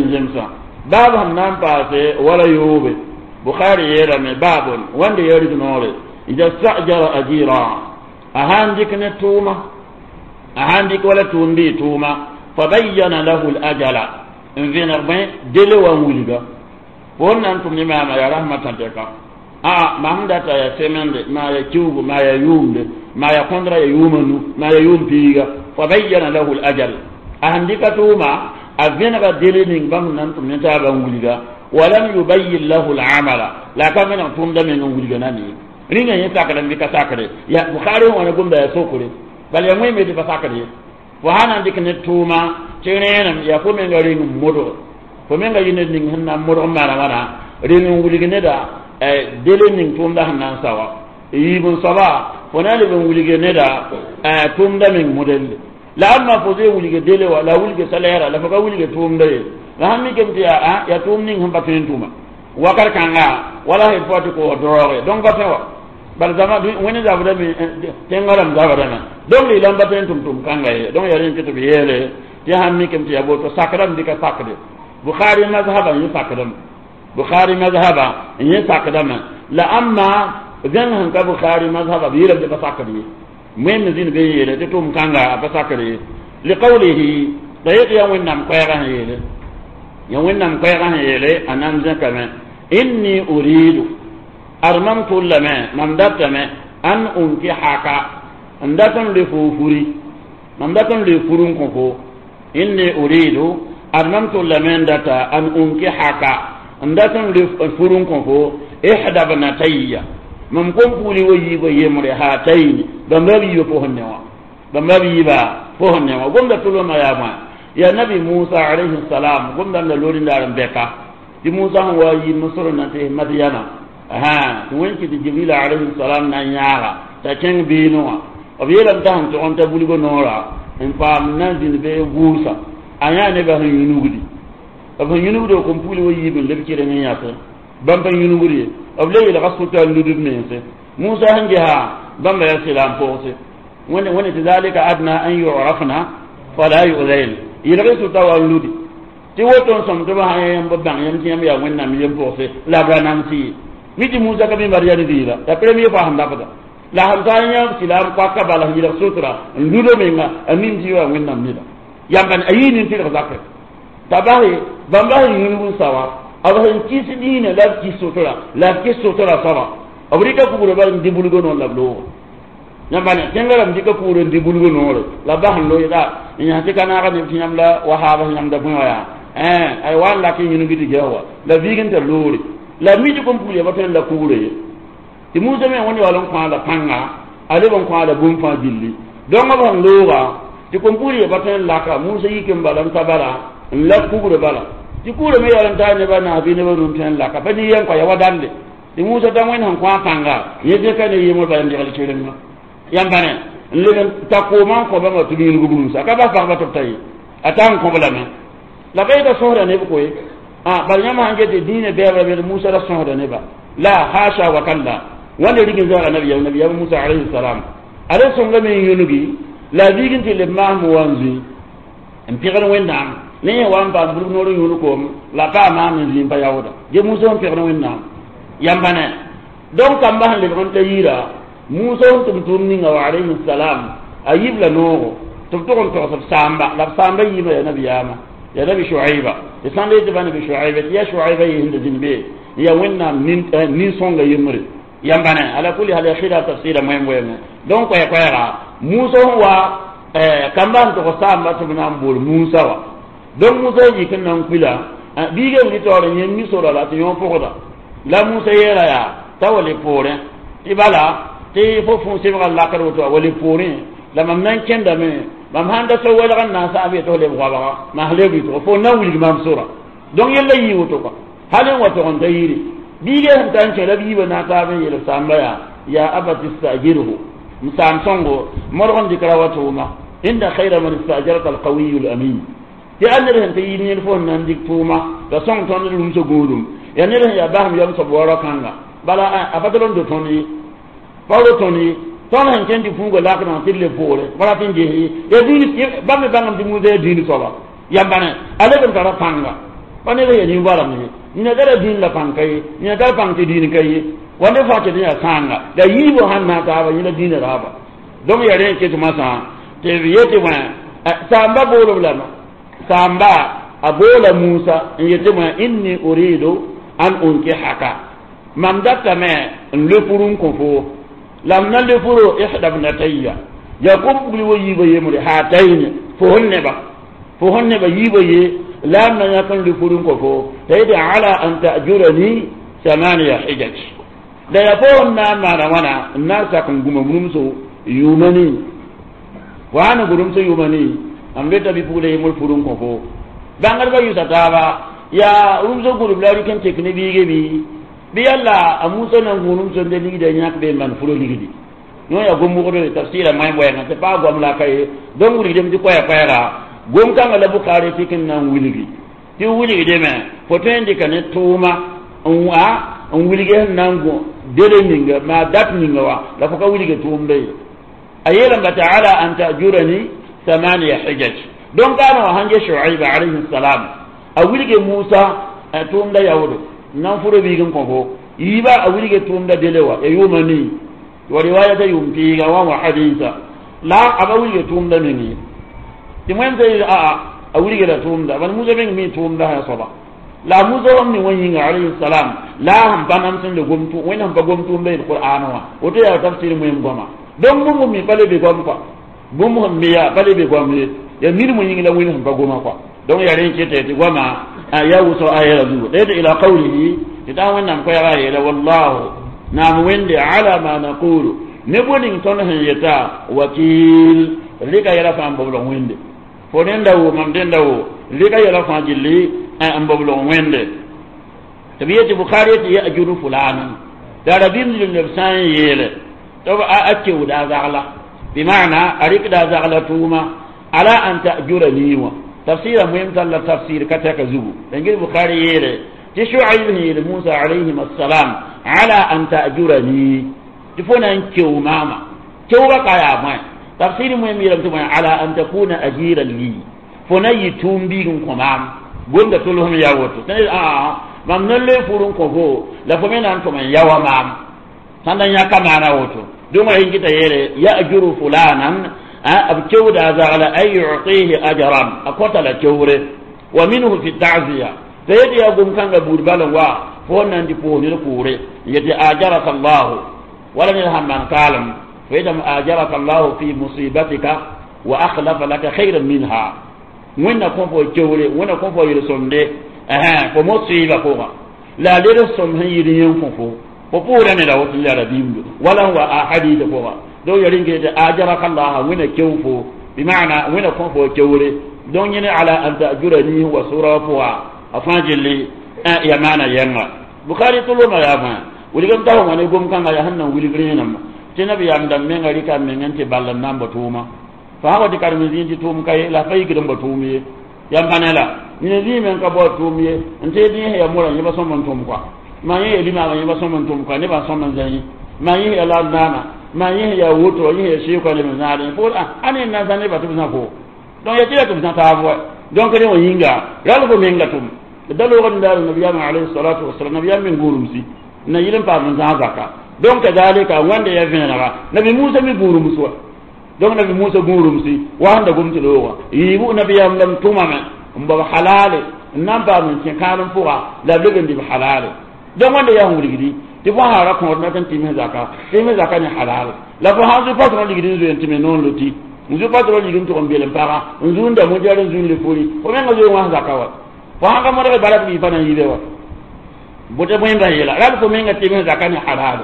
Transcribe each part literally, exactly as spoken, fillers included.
n zemsã baab sẽn na n paase wala yoobe bukhari yeelame baabun wãnde ya rig-noore ida stajara ajira a sãn dɩk ne tʋʋma a sãn dɩk wala tʋʋm bɩ tʋʋma fa bayyana lahu l-ajala n vẽneg bõe dele wa n wilga fo n na n tʋm ne maama yaa rasmã tãtɛka a mam data ya semende ma ya kiugu ma ya yʋʋmde ma ya kõndra ya yʋʋma nu ma ya yʋʋm piiga fa bayyana lahu l-ajal a sẽn dɩka tʋʋma a vẽnega dele ning bãmb na n tʋm ne taabã n wilga walam yubayyin lahu l-amala la a ka vẽneg tʋʋmda meng n wilga na ne rĩnga yẽ sakdame bɩ ka sakre ya bukhari wã gomda ya sokre bal ya wẽme tɩ pa sakd ye fo sã na n dɩk ne tʋʋma tɩ rẽenem yaa fo menga reng n modg fo menga yɩ ned ning sẽn na n modg n maana wãna reng n wilg neda dele ning tʋʋmda sẽn na n sa wa yiib n soaba fo na n leb n wilge neda tʋʋmda meng modelle la amma fo zoe wilge dele wa la wilge salaire la fo ka wilge tʋʋmda ye la sãn mikame tɩ yaa yaa tʋʋm ning sẽn pa tõe n tʋma wakat kãnga wala sẽn fo tɩ koos droge donc pa tõe wa bal zama wẽnd zabdame tẽngã rãmb zabdame donc la y pa tõe n tʋm tʋm kãnga ye donc yaa rẽ tɩ b yeele tɩ sãn mikame tɩ yaa boto sakdame bɩ ka sakde bukhari mazhaba yẽ sakdame bukhari mazhaba yẽ sakdame la amma zẽng sẽn ka bukhari mazhaba b yeelame tɩ pa sakd ye wẽnd zĩnd be yeele tɩ tʋm kãnga a pa sakd ye liqawlihi la yet yaa wẽnnaam koɛɛgã sẽn yeele ya wẽnnaam koɛɛgã sẽn yeele a nan zẽkame inni uridu ad mam tʋllame mam datame an unkihaka n dat n le fo furi mam dat n le fur n kõ fo inni uridu ad mam tʋllame n data an unkihaka n dat n le fur n kõ fo ihda bnatayya mam kom puuli wa yiibã yembre haatayni bãmba b yiibã pʋsẽ ne wã bãmba b yiibã pʋsẽ ne wã gomda tʋlmã yaa bõe ya nabi musa alayhi salam gomda la loori daar n bɛka tɩ musa sẽn wa yi misr na tɩ madyana tɩ wẽn kɩ tɩ jibril alayhi salam na n yãaga t'a kẽng beene wã b yeelame t'a sẽn tog n ta bulgo noora n paam na n zĩnd be gʋʋsa a yãa nebã sẽn yũnugdi b sẽn yũnugd b kom pugl wa yiib n leb kɩreng n yãse bãmb pa yũnugd ye b le yeelga sʋta n ludb mense musa sẽn gesa bãmba yaa sɩla n pʋgse wẽnd wẽnd tɩ zalika adna an yurafna fala yuzain yelg sʋta wa n ludi tɩ woto n sõm tɩ b sã yãmb b bãng yãmb tɩ yãmb yaa wẽnnaam yem pʋgse la b ra namsɩ ye mi tɩ musa ka mi bar yaa nidiila la premier fois sẽn dabda la sẽn taa yã sɩla n koaka bala sẽn yelg sutra n ludo menga a mim tɩ yaa wẽnnaam neda yãmba a yii nin-tɩrg zakre t'a base bãmba sẽn yũnug n sa wa b sẽn kis diinã la b kis sotra la b kis sotra soaba b rɩka kugrã bal n dɩ bulgo noor la b looga yãmba ne tẽngã rãmb dɩka kugrã n dɩ bulgo noore la b bas n loɩda n yãs tɩ ka naaga neb tɩ yãmb la wahaab sẽn yãmda bõe wã yaa ay wa n lak n yũnug tɩ ges wa la viig n tar loore la mi tɩ kom pugl ya pa tõe n la kugrã ye tɩ musa me wẽnd yaool n kõ la pãnga a leb n kõ la bũmb fãa gilli donc b sẽn looga tɩ kom pugl ya pa tõe n laka musa yik n bala n ta bala n lak kugrã bala tɩ kugrã me yaool n taa nebã naas bɩ nebã rũm tõe n laka pa nin yɛm kõ ya wa dande tɩ musa da wẽnd sẽn kõ a pãnga yẽ zẽka ne yemr bala n degl kɩrenga yãmba ne n leb n ta koomã n kõ bãmba tɩ b yũnug rũmsa ka bas pagba tɩ b ta ye a taa n kõb lame la ba yeta sõsda neb koe bal yãmb sãn get dĩinã bɛɛbra bed musa ra sõsda neba la hasha wa kalla wãnda rig n zaaga nabiyam nabiyam musa alayhi salam a ra sõngame n yũnugi la a viig n tɩ leb maasem wa n zũi n pẽgd wẽnnaam ne yẽ wa n paam burg noor n yũud koom la pa a maam n zĩi n pa yaooda ge musa sẽn pẽgd wẽnnaam yãmba ne donc kamba sẽn lebg n ta yira musa sẽn tʋm tʋʋm ninga wa alayhi salam a yib la noogo tɩ b tʋg n togs b saamba la b saamba yiibã yaa nabiyaamã yaa nabi shuaiba tɩ sãn le tɩ pa nabi shuaiba tɩ yaa shuaiba yɩ sẽn da zĩnd be ya wẽnnaam nin-sõnga yembre yãmba ne ala kuli hal ya khilaf tafsira moem wɛɛngẽ donc koɛ-koɛɛga musa sẽn wa kamba sẽn tʋg saamba tɩ b na n bool musa wa donc musa yik n na n kuila biigã n taoor n yẽ mi sora la tɩ yõ pʋgda la musa yeela yaa t'a wa le poorẽ tɩ bala tɩ fo fũ sebga lakr woto a wa le poorẽ la mam na n kẽndame mam sãn da so welg n na n saam yetɩ f leb goabga mas leb yɩtgo fo na n wilg maam sora donc yella yii woto kɔa hal n wa tog n ta yiri biigã sẽn ta n kẽ la b yiibã na n taab n yeel b saamba yaa ya abati stajirhu m saam sõngo modg n dɩk ra wa tʋʋma inna khayra man istajarta alqawiyu alamin tɩ a ned sẽn ta yir yẽd fo sẽn na n dɩk tʋʋma la sõng tõnd rũmsã gũudum yaa ned sẽn yaa basem yam soab wara kãnga bala a pa tɩ d tõnd ye pa ro tõnd ye tõnd sẽn kẽnd tɩ fuuga lakdã tɩ d le poore pa rat n ges ye yaa dĩin bãmb me bãngame tɩ musa yaa dĩin soaba yãmba ne a leb n tara pãnga Pa ned ya nin-goalem ye nina tara dĩin la pãng ka ye nina tar pãng tɩ dĩin ka ye wãnde fãa tɩ ya sãanga la yiibã sãn na n taaba yẽ la dĩinã raaba donc ya rẽ n ket masã tɩ b yetɩ wã saamba boolb lame saamba a boola Musa n yetɩ wã inni uridu an unkihaka mam datame n le furu n kõ fo la m na le furo ihda bnatayya ya kom pugli wa yiibã yembre haatayne fo sẽn neba fo sẽn neba yiibã ye la m na yãk n le furu n kõ fo t'a yetɩ ala an ta'jurani samaniya hijaj la ya fo n na n maana wãna n na n sak n gũma rũmso yʋʋma nii fo sã n gu rũmsã yʋʋma nii m reta bɩ-pugla yembr furu n kõ fo bãngdbã yʋsa taaba yaa rũmsã gũrb la rɩk n tek ne biige bɩ bɩ yalla a Musa na n gũ rũmsã n de ligda yãk be n maan furo ligdi yõ yaa gom-wogd tafsɩra moẽ wɛɛngã tɩ paa goam la ka ye donc wilgdem tɩ koɛɛ-koɛɛga gom-kãngã la Bukhari tɩ n na n wilgi tɩ wilgdame fo tõe n dɩka ne tʋʋma n wa n wilg sẽn na n gõ dele ninga maa dat ninga wa la fo ka wilge tʋʋmda ye a yeelame tɩ ala an ta'jurani samaniya hijaj donc kaana wã sãn ge Shuaib alayhi salam a wilge Musa tʋʋmda yaoodo n na n furo biig n kõ fo yiiba a wilge tʋʋmda dele wa ya yʋʋma nii wa riwayata yʋʋm piiga wa wa hadisa la a ba wilge tʋʋmda meng ye tɩ wẽnd aa a wilgda tʋʋmda bal Musa meng mi tʋʋmda sã soaba la Musa wam ni wã yĩnga alayhi salam la sẽn pa nam sẽn le gom wẽnd sẽn pa gom tʋʋmda yel Qur'an wã woto yaa tafsir moem goama donc bũmb mi pa le be goam kɔa bũmb sẽn me yaa pa le be goam ye ya mirmã yĩng la wẽnd sẽn pa goma kɔa donc yaa rẽ keta tɩ goama ya wʋsg ayɛla zugu la yetɩ ila qawlihi tɩ taa wẽnnaam koɛɛga yeela wallahu naam wẽnde ala ma naqulu ne bõe ning tõnd sẽn yeta wakil rɩka yɛla fãa n boblg wẽnde fo rẽnda wo mam dẽnda wo rɩka yɛla fãa gilli n boblg wẽnde tɩ b yetɩ Bukhari yetɩ yajuru fulanan t'a rabim zĩnd b sã n yeele tɩ b a kewda a zagla bimana a rɩkda a zagla tʋʋma ala an ta'jurani wã tafsira moem tall tafsir ka tɛka zugu la gil Bukhari yeele tɩ Shuaib sẽn yeel Musa alayhim assalam ala an ta'jurani tɩ fo na n keo maama keoogã ka yaa bõe tafsir moem yeelame tɩ bõe ala an takuna ajiran li fo na yɩ tʋʋm biig n kõ maam gomda tʋlsem yaa woto aa mam na loe fur n kõ fo la fo me na n tʋm n yaoa maam sãn da yãka maana woto donc a yĩngita yeele yajuru fulanan b kewda a zagla ay yu'tihi ajran a kõta la kewre wa minhu fi ta'ziya t'a yetɩ yaa gom-kãngã buud bal n wa fo n na n dɩ pʋʋs ned kʋʋre n yetɩ ajaraka llahu wala ned sãn maan kaalem fo yetame ajaraka llahu fi musibatika wa akhlafa laka khayran minha wẽnna kõ fo kewre wẽnna kõ fo yel-sõmde fo musiba pʋgã la a led sõm sẽn yɩd yẽ n kõ fo fo pʋʋra neda woto la rabiimdo wala n wa a hadisa pʋga donc ya rĩng tɩ ajaraka llaha wẽnna kew fo bimana wẽnna kõ fo kewre donc yẽne ala an ta'jurani wa sura pʋga a fãa gilli ya maana yɛnga Bukhari tʋlʋmã yaa bõe wilgem ta wã ne gom-kãngã yaa sẽn na n wilg rẽename tɩ nabiyaam dãmb menga rɩka meng n tɩ ball n na n bao tʋʋma fo sã wa tɩ karem zĩig tɩ tʋʋm ka ye la fa yikd n bao tʋʋm ye yam pa ne la nina zĩig meng ka bao tʋʋm ye n tɩ dĩis ya morã yẽba sõm n tʋm kɔa maa yẽ ya limaamã yẽba sõm n tʋm kɔa nebã sõm n zãyẽ maa yẽ ya la naana maa yẽ ya woto yẽ ya seekã neb n zãadẽ fo a ne n na n zã nebã tɩ b zã fo donc ya tɩ ya tɩ b zã taab wa donc rẽ wã yĩnga ral fo menga tʋm da loogd n daal nabiyaamã alayhi salatu wasalam nabiyaam meng gũurumsi n na yɩl n paam n zãag zaka donc kadalika wẽnde ya vẽenega nabi Musa mi gũurums wa donc nabi Musa gũurumsi wa sẽn da gom tɩ loogã yiibu nabiyaam lam tʋmame n bao halale n na n paam n kẽ kãadem pʋga la b leb n dɩ b halale donc wẽnde yaa sẽn wilgdi tɩ fo sã ra kõod na tɩ n tɩms zaka tɩms zaka ne halal la fo sãn zu patron ligd n zoe n tɩ me noor loti n zu patron ligd n tʋg n beel n paga n zu n da mojar n zu n le furi fo menga zoe wãs zaka wa fo sãn ka modg bara tɩ pa na n yibe wa bʋtɩ bõe yeela ral fo menga tɩms zaka ne halal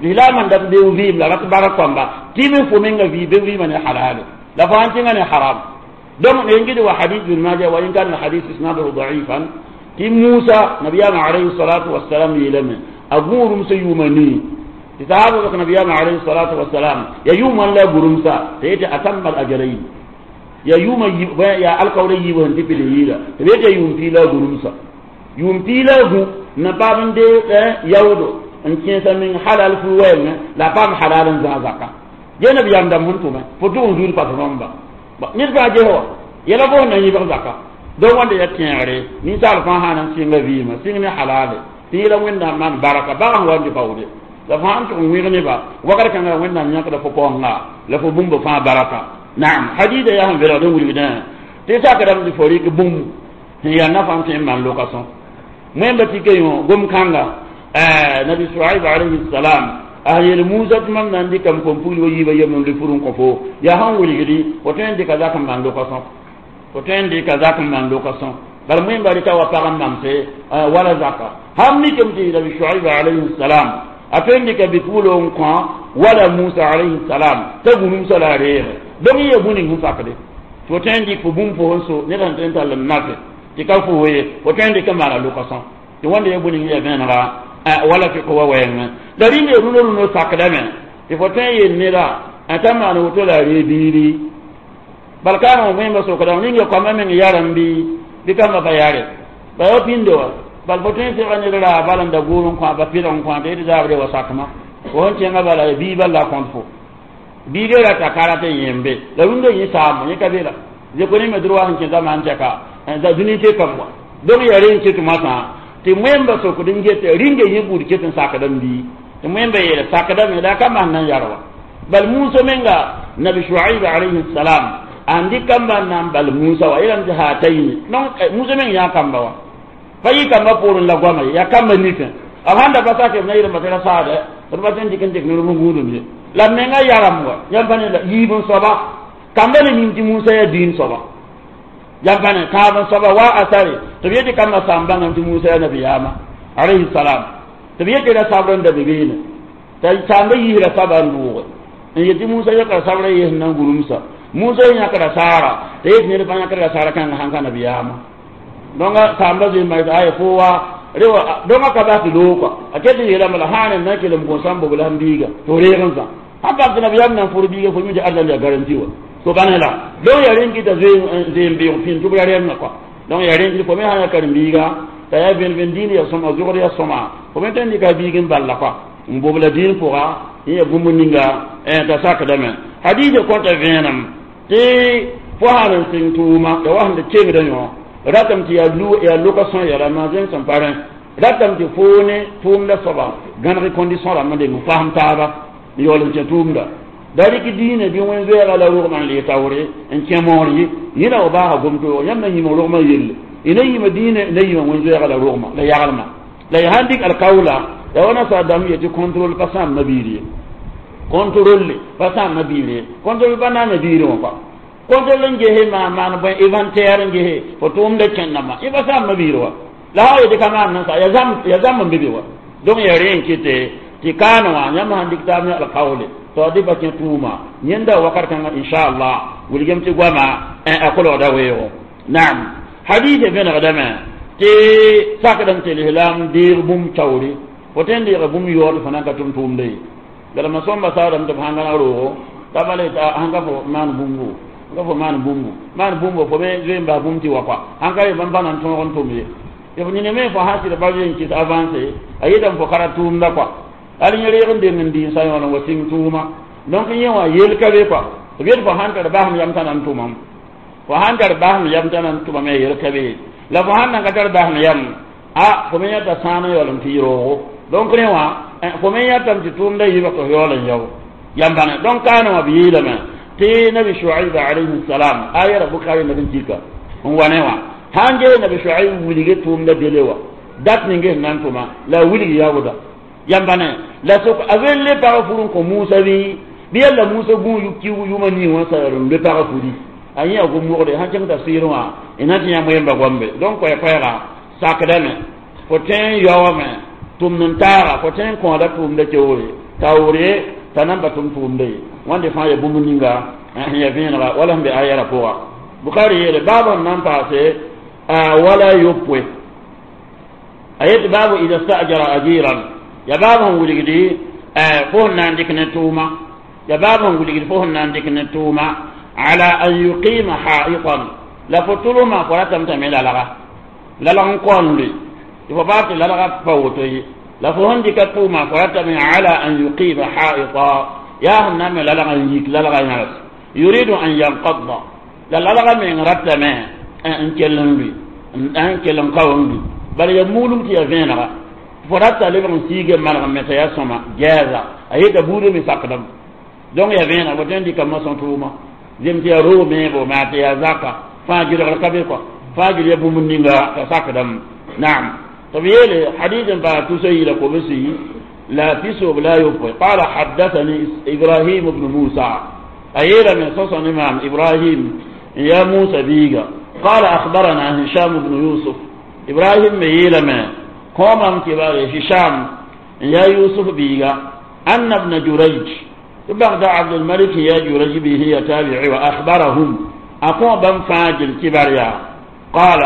lislaamã n dat beo vɩɩm la rat bark kõmba tɩms fo menga vɩ be vɩɩmã ne halal la fo sãn tẽnga ne haram donc ne ngidi wa hadith bin Majah wa in kana hadith isnaduhu da'ifan tɩ Musa nabiyaamã alayhi salatu wassalam yeelame a gũurumsã yʋʋma nii tɩ sahaaba bk nabiyaamã alayhi salatu wassalam ya yʋʋm wãn la gũrumsa t'a yetɩ atamma al ajalayn ya yʋʋma ya alkaoora yiib sẽn tɩ pid n yɩɩda tɩ b yetɩ ya yʋʋm piig la a gũrumsa yʋʋm piig la a gũ n na paam n dee yaoodo n kẽesa meng halal fu wɛɛngẽ la a paam halal n zãag zaka ge nabiyaam dãmb sẽn tʋme fo tʋg n zuud patronba ned fãa ges wa yɛla fo sẽn na n yɩbg zaka Donc wãnda ya tẽegre ninsaal fãa sã n sɩnga vɩɩmã sɩng ne halale tɩ yẽla Wẽnnaam maan barka bag sẽn wa n tɩ baoode la fo sãn tʋg n wẽg neba wakat kãngã Wẽnnaam yãkda fo paoongã la fo bũmb fãa baraka. Naam, hadida yaa sẽn velgd n wilgdã tɩ sakdame tɩ fo rɩk bũmb sẽn yaa nafã n tõe n maan loka-sõm wẽmba tɩ yõ gom-kãnga Nabi Suaib alayhi salam a yel Musa tɩ mam na n dɩkame fo n pugl wa yiibã yem n fur n kõ fo yaa sẽn wilgdi fo tõe n dɩka zak n maan loka-sõm fo tõe n dɩka zak n maan loka-sõm bala wẽmba rɩka wa pag n mamse wala zaka sãn mikame tɩ Nabi Suaib alayhi salam a tõe n dɩka bi-puglg n kõ wala Musa alayhi salam t'a gũrumsa la a reege donc yã bũ ning sẽn sakde fo tõe n dɩk fo bũmb fo sẽn so ned sẽn tõe n tall n nafe tɩ ka fo ye fo tõe n dɩk n maana loka-sõm tɩ wãnda ya bũ ning ya vẽenega wala fɩk wa wɛɛngẽ la rĩnga rũnã rũnã sakdame tɩ fo tõe n yel neda t'a maan woto la a ree biiri bal kaana wẽmba sokdame ninga koamã meng yarem bɩ bɩ kambã pa yare ba ya pĩnde wa bal fo tõe n sega ned raa bal n da gʋʋr n kõ ba pɩlg n kõ tɩ d zaabre wa sakma fo sẽn kẽngã bala ya bii bal la a kõt fo biigã rata karate yẽmbe la rũndã yẽ saamo yẽ ka be la zeko ne me droit sẽn kẽ zamaan tɛka dũni tɩ kam wa donc ya rẽ n ket moasã tɩ wẽmba sokd n get rĩnga yẽ buud ket n sakdame bii tɩ wẽmba yeela sakdame la a ka maan na n yar wa bal Musa menga Nabi Shuaib alayhi salam n dɩk kamba n na n bal Musa wa yeelame tɩ haatayni donc Musa meng yã kamba wa pa yɩ kamba poorẽ la goama ye yaa kamba nifẽ b sãn da pa sak b na yeelame tɩ ra saada d pa tõe n dɩk n dɩk ned gũudum ye la menga yaram wa yãmb pa ne la yiib n soaba kamba ne nin tɩ Musa yaa diin soaba yãmb pa ne tãab n soaba wa asare tɩ b yetɩ kambã sã n bãngame tɩ Musa yaa nabiyaamã alayhi salam tɩ b yetɩ ra sabr n da be beene t'a saamba yiisra saba n dʋʋge n yetɩ Musa yãkra sabrã yɩs n na n gurumsa Musa yãkra saara t'a yet ned fãa yãkra saara kãngã sãn ka nabiyaamã donc saamba zoe ma ay fo wa rewa donc ka ba tɩ loog kɔa a ket n yeelame la sãan n na n kell n bõn sãn bobla sẽn biiga tɩ f reeg n zã sãn paam tɩ nabiyaam na n fʋr biiga fo mi tɩ arzãn yaa garanti wa so bãn la donc yaa rẽn kɩta zoe n beoog pĩnd tɩ b ra rẽmna kɔa donc yaa rẽn kɩt fo me sã n yaa karen-biiga t'a yaa vẽn-vẽn diin ya sõma zogd ya sõma fo me tõe n dɩka a biig n balla kɔa n bobla diin pʋga n ya bũmb ninga t'a sakdame hadiisã kõta vẽenem tɩ fo sãn n sɩng tʋʋma ya wa sẽn da kengdã yõ ratame tɩ yaa loka-sõa yɛla maa-zẽng sẽn pa rẽ ratame tɩ fo ne tʋʋmda soaba gãneg condition rãmb n deng n fasem taaba n yaool n kẽ tʋʋmda da rɩk diinã bɩ wẽn-zoɛɛga la rogmã n lee taoore n kẽ moor ye yẽ la f baasa gom-toog yãmb na yĩm rogmã yelle y na yĩma diinã na yĩma wẽn-zoɛɛga la rogmã la yagelmã la y sãn dɩk alkawla ya wa nasaar dãmb yetɩ contrôle pa sãam mabiir ye contrôle pa sãam mabiir ye contrôle pa naam biirẽ wã kɔa contrôle n gese maan maan bõe inventaire n gese fo tʋʋmda kẽndãmbã yẽ pa sãam mabiir wa la sã yetɩ ka maan nan sa ya zãmb n be be wa donc ya rẽ n kɩte tɩ kaane wã yãmb sãn dɩk taab ne alkawle to dɩ pa kẽ tʋʋma yẽnda wakat kãngã inchallah wilgem tɩ goama a kolgda weoogo naam hadisa vẽnegdame tɩ sakdame tɩ lislaam deeg bũmb taoore fo tõe n deega bũmb yaood fo nan ka tʋm tʋʋmda ye galma sõmba saadame tɩ b sãn gãneg roogo t'a bala t'a sãn ka fo maan bũmbu ka fo maan bũmbu maan bũmbu fo be zoe n bas bũmb tɩ wa kɔa sãn ka yembã pa na n tõog n tʋm ye tɩ f nina me fo sã sɩd ba zoe n kɩs avance a yetame fo ka ra tʋʋmda kɔa al yẽ reeg n deng n dɩ n sa yõol n wa sɩng tʋʋma donc yẽ wã yel ka be kɔa b yet fo sãn tar basem yam t'a na n tʋmam fo sãn tar basem yam t'a na n tʋmame yel ka be la fo sãn nan ka tar basem yam a fo me yãta sãan n yaool n tɩ y roogo donc rẽ wã fo me yãtame tɩ tʋʋmda yiibã tɩ f yaool n yao yam bãne donc kaane wã b yeelame tɩ Nabi Shuaib alayhi salam ayara Bukari neb n kika n wa ne wã sãn ges Nabi Shuaib wilge tʋʋmda dele wa dat ning sẽn na n tʋma la a wilg yaooda yam bãne la sok a ven le pag fur n kõ Musa bɩ bɩ yalla Musa gũ yʋma nii wã sa n le pag furi a yẽ a gom wogde sãn kẽng tafsɩɩrẽ wã y na tɩ yãmb wẽmba goambe donc koɛ-koɛɛga sakdame fo tõe n yaoome tʋmd n taaga fo tõe n kõoda tʋʋmda keoore taoore t'a nan pa tʋm tʋʋmda ye wãnde fãa ya bũmb ninga sẽn ya vẽenega wala sẽn be ayɛra pʋga Bukari yeele baab n na n paase wala yopoe a yetɩ baabu ida stajara ajiran ya baab sẽn wilgdi fo sẽn na n dɩk ne tʋʋma ya baab sẽn wilgd fo sẽn na n dɩk ne tʋʋma ala an yuqima haitan la fo tʋlʋmã fo ratame t'a me lalga lalg n kaoon loe tɩ fo baab tɩ lalga pa woto ye la fo sẽn dɩka tʋʋmã fo ratame ala an yuqima haita yaa sẽn na n me lalg n yik lalga yãgs yuridu an yanqadda la lalga meng ratame N kell n lʋɩ n kell n kao n lʋɩ bala ya muulum tɩ ya vẽenega fo rata lebg n siige maneg n me t'a yaa sõma gɛɛsa a yeta buudã me sakdame donc ya vẽeneg fo tõe n dɩka masõ tʋʋma zem tɩ yaa roog meebo maa tɩ yaa zaka fãa gɩlgr ka be kɔa fãa gɩl ya bũmb ninga t'a sakdame naam tɩ b yeele hadis n paas tusa yila kobsi la pisob la yopoe. قال حدثني إبراهيم بن موسى أيلا من صصن إمام إبراهيم يا موسى بيغا قال أخبرنا هشام بن يوسف إبراهيم ميلا ما قوم كبار هشام يا يوسف بيغا أن ابن جريج بعد عبد الملك يا جريج به يتابع وأخبرهم أقوم بن فاجل كبار يا قال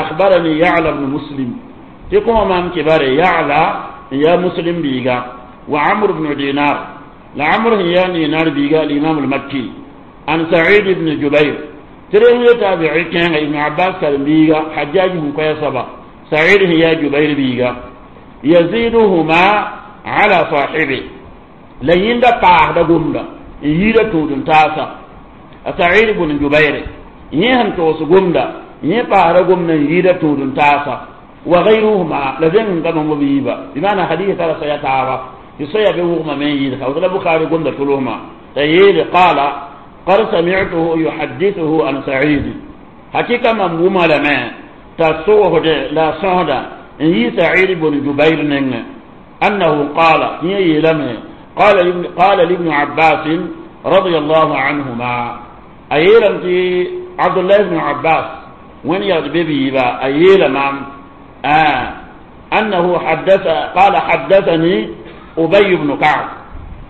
أخبرني يعلى بن مسلم تقوم أم كبار يعلى يا مسلم بيغا وعمر بن دينار لعمر يا دينار بيغا الإمام المكي عن سعيد بن جبير تريه تابعي كان ابن عباس كان بيغا حجاج بن قيصبة سعيد يا جبير بيغا يزيدهما على صاحبه لين دا قاه دا غمدا ييدا تودن تاسا سعيد بن جبير يهم توس غمدا يه قاه دا غمدا ييدا تودن تاسا وغيرهما لذين كما مبيبا بمعنى حديث ترى سيتعرف يصيب بوغما من يدخل وذل بخاري غمدا تلوهما تييل قال قد سمعته يحدثه عن سعيد حقيقة من بوما لما تصوه لا صهد إن سعيد بن جبير أنه قال هي لما قال قال لابن عباس رضي الله عنهما أيلم عبد الله بن عباس وين يغضب با أيلم آه أنه حدث قال حدثني أبي بن كعب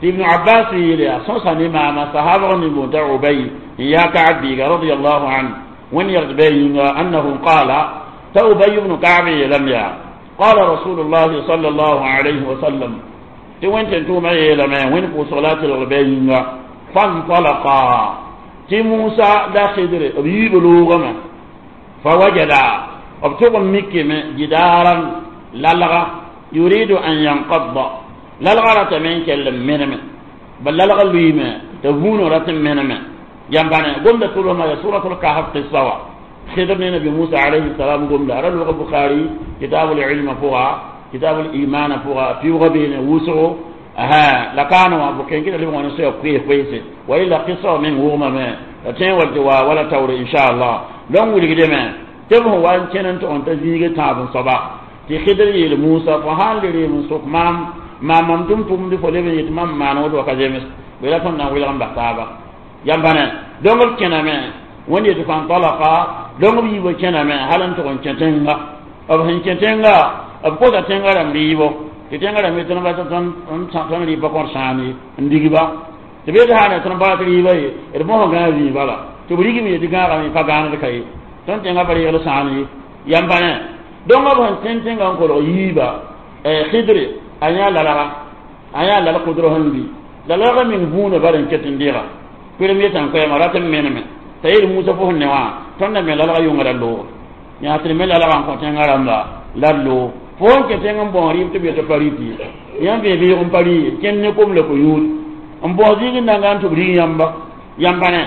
ابن عباس يلي صوصني ما ما صحابه من أبي يا كعب رضي الله عنه وين يغضب أنه قال تأبي بن كعب لم يا قال رسول الله صلى الله عليه وسلم تي وين تنتو ما يلما وين كو صلاة الغبين فانطلقا تي موسى لا خضر بيبلوغما فوجد ابتغ مكي جدارا للغا يريد أن ينقض للغا رتمين كلم منم بل للغا لويما تبون رتم منم ينبني قم تقولوا ما سورة الكهف قصة خضر نبي موسى عليه السلام قم لا رجل البخاري كتاب العلم فوق كتاب الإيمان فوق في غبين وسعه أها لكانوا أبو كين كده اللي هو نسيا كويس كويس وإلا قصة من هو ما ما تين والجوا ولا تور إن شاء الله لون ولي كده ما تبه وان كان أنت أنت زيجة تاب صباح تخضر موسى فهال لي من سوق مام ما ممتم تم دي فلي بيت مام ما نود وكجمس ولا تنا ولا عم بحثابا ينبنا دون كنا ما وين يتفان طلقا دون بيبو كنا ما هل أنت كن كتنغا أب هن كتنغا أب كوتا تنغا رم بيبو تنغا رم يتنا بس تن تن تن لي بكون سامي نديبا تبي ده هذا تن بات ليبا إرموه غنا ليبا لا تبريك مي تنغا رم يفعان كاي تن تنغا بري يلا سامي ينبنا دون أب هن تن تنغا كلو يبا خضر aya lalaga aya lala kudro hanbi lalaga min huna baran ketin dira premier tan ko ma ratam meneme tayir musa fo ne wa tonna me lalaga yunga lo ya tri me lalaga ko ten garamba lallo fo ke ten bon ri to be to pariti yam be be on pari ken ne kom le ko yud on bo zigi na ngan to ri yamba yamba ne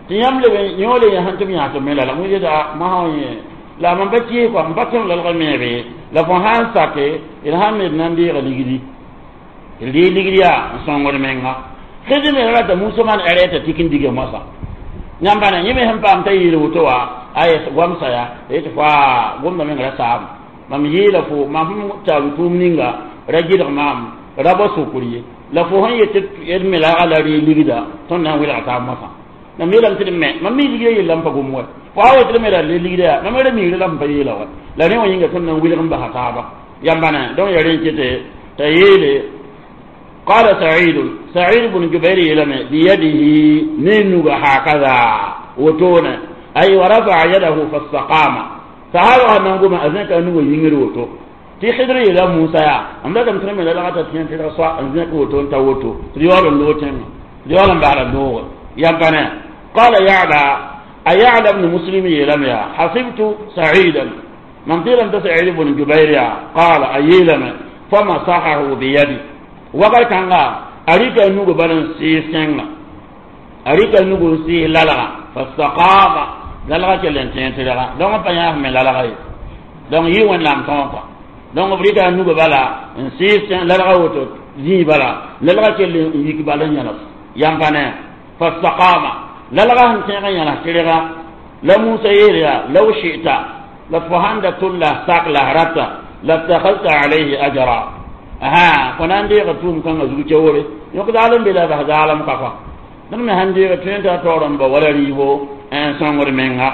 ti yam le be nyole ya han to mi ha to me lala mu da ma ha ye la man ba ki ko ba kem lalaga me be la fo han sake il han me nan di ga ligidi il di ligidi ya songor menga khidi me rata musa man areta tikin dige masa nyamba na yime hem pam tayi wuto wa ay gwamsa ya et fa gomna men ra sam mam yela fo mam ta tum ninga rajid mam rabo sukuri la fo han yet yed me la ala ri ligida ton nan wila ta masa na mi lam tin me mam mi ligida yelam pa gomwa fo awa tɩ me ra le ligda yaa mam ra miigre la m pa yeela wa la rẽ wã yĩnga tõnd na n wilg n basa taaba yãmba ne donc ya rẽ kete t'a yeele قال سعيد سعيد بن جبير يلم بيده نينغ هكذا وتونا أي ورفع يده فاستقام فهذا نغم أذنك أنه ينغر وتو تي خضر إلى موسى يا أم لا تمترم إلى لغة تين في الرصاء أذنك وتو انت وتو ريال اللوتين ريال بعد النور يا قال يعلى أيعلى بن مسلم يلم يا حسبت سعيدا من قيل أنت سعيد بن جبير يا قال أيلم فمسحه بيدي وقال كان أريك نوغ بلن سي سنغ أريك نوغ سي لالغا فاستقام lalga kell n tẽ tɩrga donc pa yãas me lalga ye donc yɩ wẽnnaam tõog kɔa donc b rɩka a nugã bala n sɩɩs lalga woto zĩig bala lalga kell n yik bala n yãls yãmb pa ne fastaqama lalga sẽn tẽeg n yãls tɩrga la Musa yeel yaa law shi'ta la fo sãn da tʋl la sak la rata lattakhadta alayhi ajra aha fo na n deega tʋʋm kãngã zug keoore yõk zaal n be la bas zaalem ka kɔa dẽnd me sãn deega tõe n t'a taoor n ba wala rɩɩbo n sõngd menga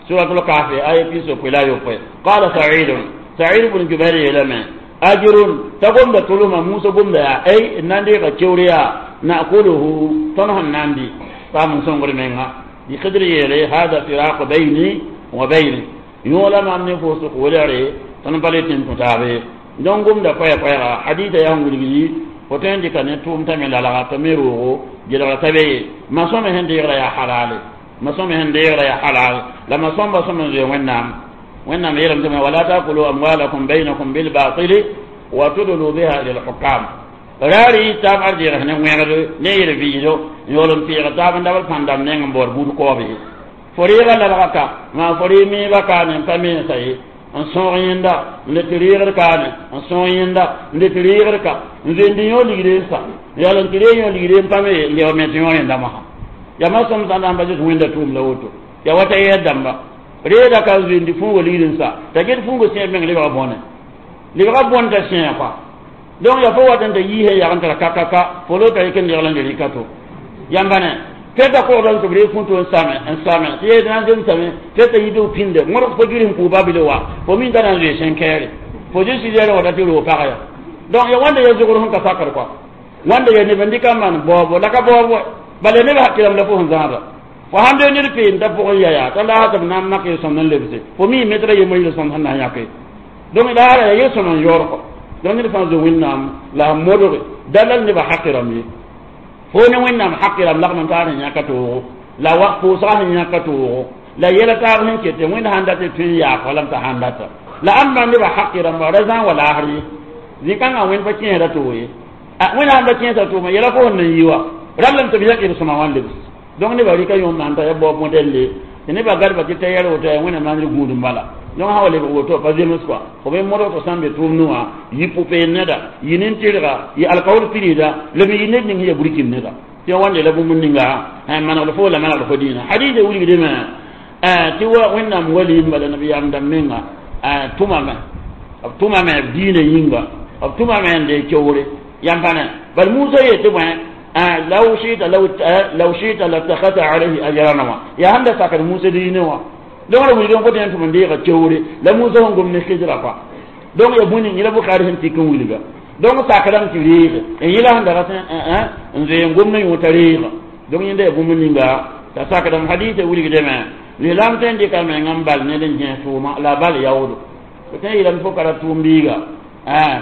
suratul kahfi aya pisopoe la yopoe qala saidun said bn jubair yeelame ajrun t'a gomda tʋlsmã Musa gomda yaa ay n na n deega keoor yaa nakuluhu tõnd sẽn na n dɩ paam n sõngd menga di Khidr yeele hada firaq bayni wa bayni yõola mam ne fo sʋk welgre tõnd pa le tẽn tũ taabe donc gomda koɛɛ-koɛɛga hadita yaa sẽn wilgdi fo tõe n dɩka ne tʋʋm t'a me lalga t'a me roogo gelgra t'a be ye ma-sõme sẽn deegra yaa halale ma-sõme sẽn deegra yaa halal la ma-sõmba sõm n zoe wẽnnaam wẽnnaam yeelame tɩ wala takulu amwalakum bainakum bilbatili wa tudlu biha ila lhukam raar y taab ar deeg ne wẽgd ne yel vɩɩdo n yaool n peeg taab n dabl pãn-dãmb neng n baood buud kooob ye fo reega lalga ka maa fo ree meebã kaane n pa mensa ye n sõog yẽnda n le tɩ reegd kaane n sõog yẽnda n le tɩ reegd ka n zoeend yõ ligd n sa n yaool n tɩ reeg yõ ligd n pa me n leb me tɩ yõ yẽnda mosã yaa ma sõm sã n na n pa zems wẽnda tʋʋm la woto yaa wa t'a yɛɛd dãmba reeda ka n zoeend fũugo ligd n sa t'a get fũugo sẽeb meng lebga bõne lebga bõn t'a sẽe kɔa donc ya fo wat n t'a yiisã yag n tara kakaka fo lo t'a yik n legl n le rɩka to yãmba ne tɩ kogda n tɩ b reeg fũto n same n same tɩ yee na n zemsame tɩ t'a yib pĩnde wõrg fo gɩrs n pʋʋ babile wa fo min t'a na n zoe sẽn kɛɛre fo zĩ sɩzɛɛrẽ wata tɩ roog pag ya donc ya wãnda ya zogr sẽn ka sakr kɔa wãnda ya neb n dɩka n maan baoobo la ka baoob wa bala neb hakkilame la fo sẽn zãada fo sãn be ned peen t'a pʋgẽ ya yaa t'a laasã tɩ b na n mak yel-sõmd n lebse fo mi metra yembr yel-sõmd sẽn na n yãke donc laara ya yel-sõm n yaoor kɔ donc ned fãa zo wẽnnaam la a modge dalal nebã haqi rãmb ye fo ne wẽnnaam haqi rãmb lagm n taar sẽn yãka toogo la wa pʋʋsga sẽn yãka toogo la yɛla taab sẽn ket wẽnd sãn dat tɩ tõe n yaak lam t'a sãn data la ãmba nebã haqi rãmba ra zãn wa laasr ye zĩ-kãngã wẽnd pa kẽesda toog ye wẽnd sãn da kẽesa tʋʋma yɛla fo sẽn na n yi wa rallame tɩ b yãk d sõma wã n lebs donc nebã rɩka yõom maan t'a ya baob modɛlle tɩ nebã gadba tɩ ta yɛr woto yaa wẽnnaam maandr gũud n bala donc sã wa lebg woto pa zems kɔa fo be modg tɩ sã n be tʋʋm nuwã yɩ pʋ-peend neda yɩ nin-tɩrga yɩ alkaoor pirida la me yɩ ned ning sẽn ya burkin neda tɩ wãnde la bũmb ninga manegd fo la manegd fo dĩinã hadisa wilgdme tɩ wa wẽnnaam walim bala nabiyaam dãmb menga tʋmame b tʋmame b diinã yĩnga b tʋmame n dee keoore yãmb pa ne bal Musa yetɩ bõe law shi'ta law law shi'ta lattakhadta alayhi ajran wa ya handa sakar Musa diine wa donc la wilgem fo tẽn tɩ m deega keoore la Musa sẽn gom ne Khidra kɔa donc ya bũni yẽla Bukhari sẽn tik n wilga donc sakrame tɩ reege n yẽla sẽn daga n zoe n gom ne yõ t'a reega donc yẽnda ya bũmb ninga t'a sakdame hadisa wilgdame lislaam tõe n dɩka mengã n bal ned n gẽes tʋʋma la a bal yaoodo fo tõe n yeelame fo ka ra tʋʋm biiga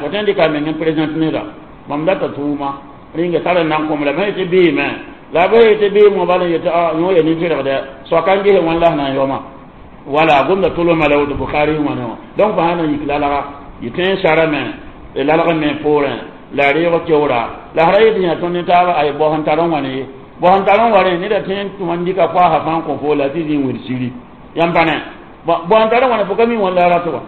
fo tõe n dɩka meng n présente neda mam data tʋʋma rĩnga tar n na n kõm la b tɩ beeme la b tɩ beem wã bala n yetɩ yõ ya nin-tɩrgdɛ soaka n ges wãn la sẽn na n yaooma wala gomda tʋlsma la woto Bukhari wã ne wã donc fo sã na n yik lalga yɩ tõe n sarame lalg me poorẽ la reeg keoora la sã ra yetɩ yã tõnd ne taaba ay bao sẽn tar n wãne ye bao sẽn tar n wa rẽ neda tõe n wãn dɩka koaasã fãa n kõ fo la tɩ zĩ n wid siri yãmb pa ne bao sẽn tar n wãne fo ka mi wãn la rat wa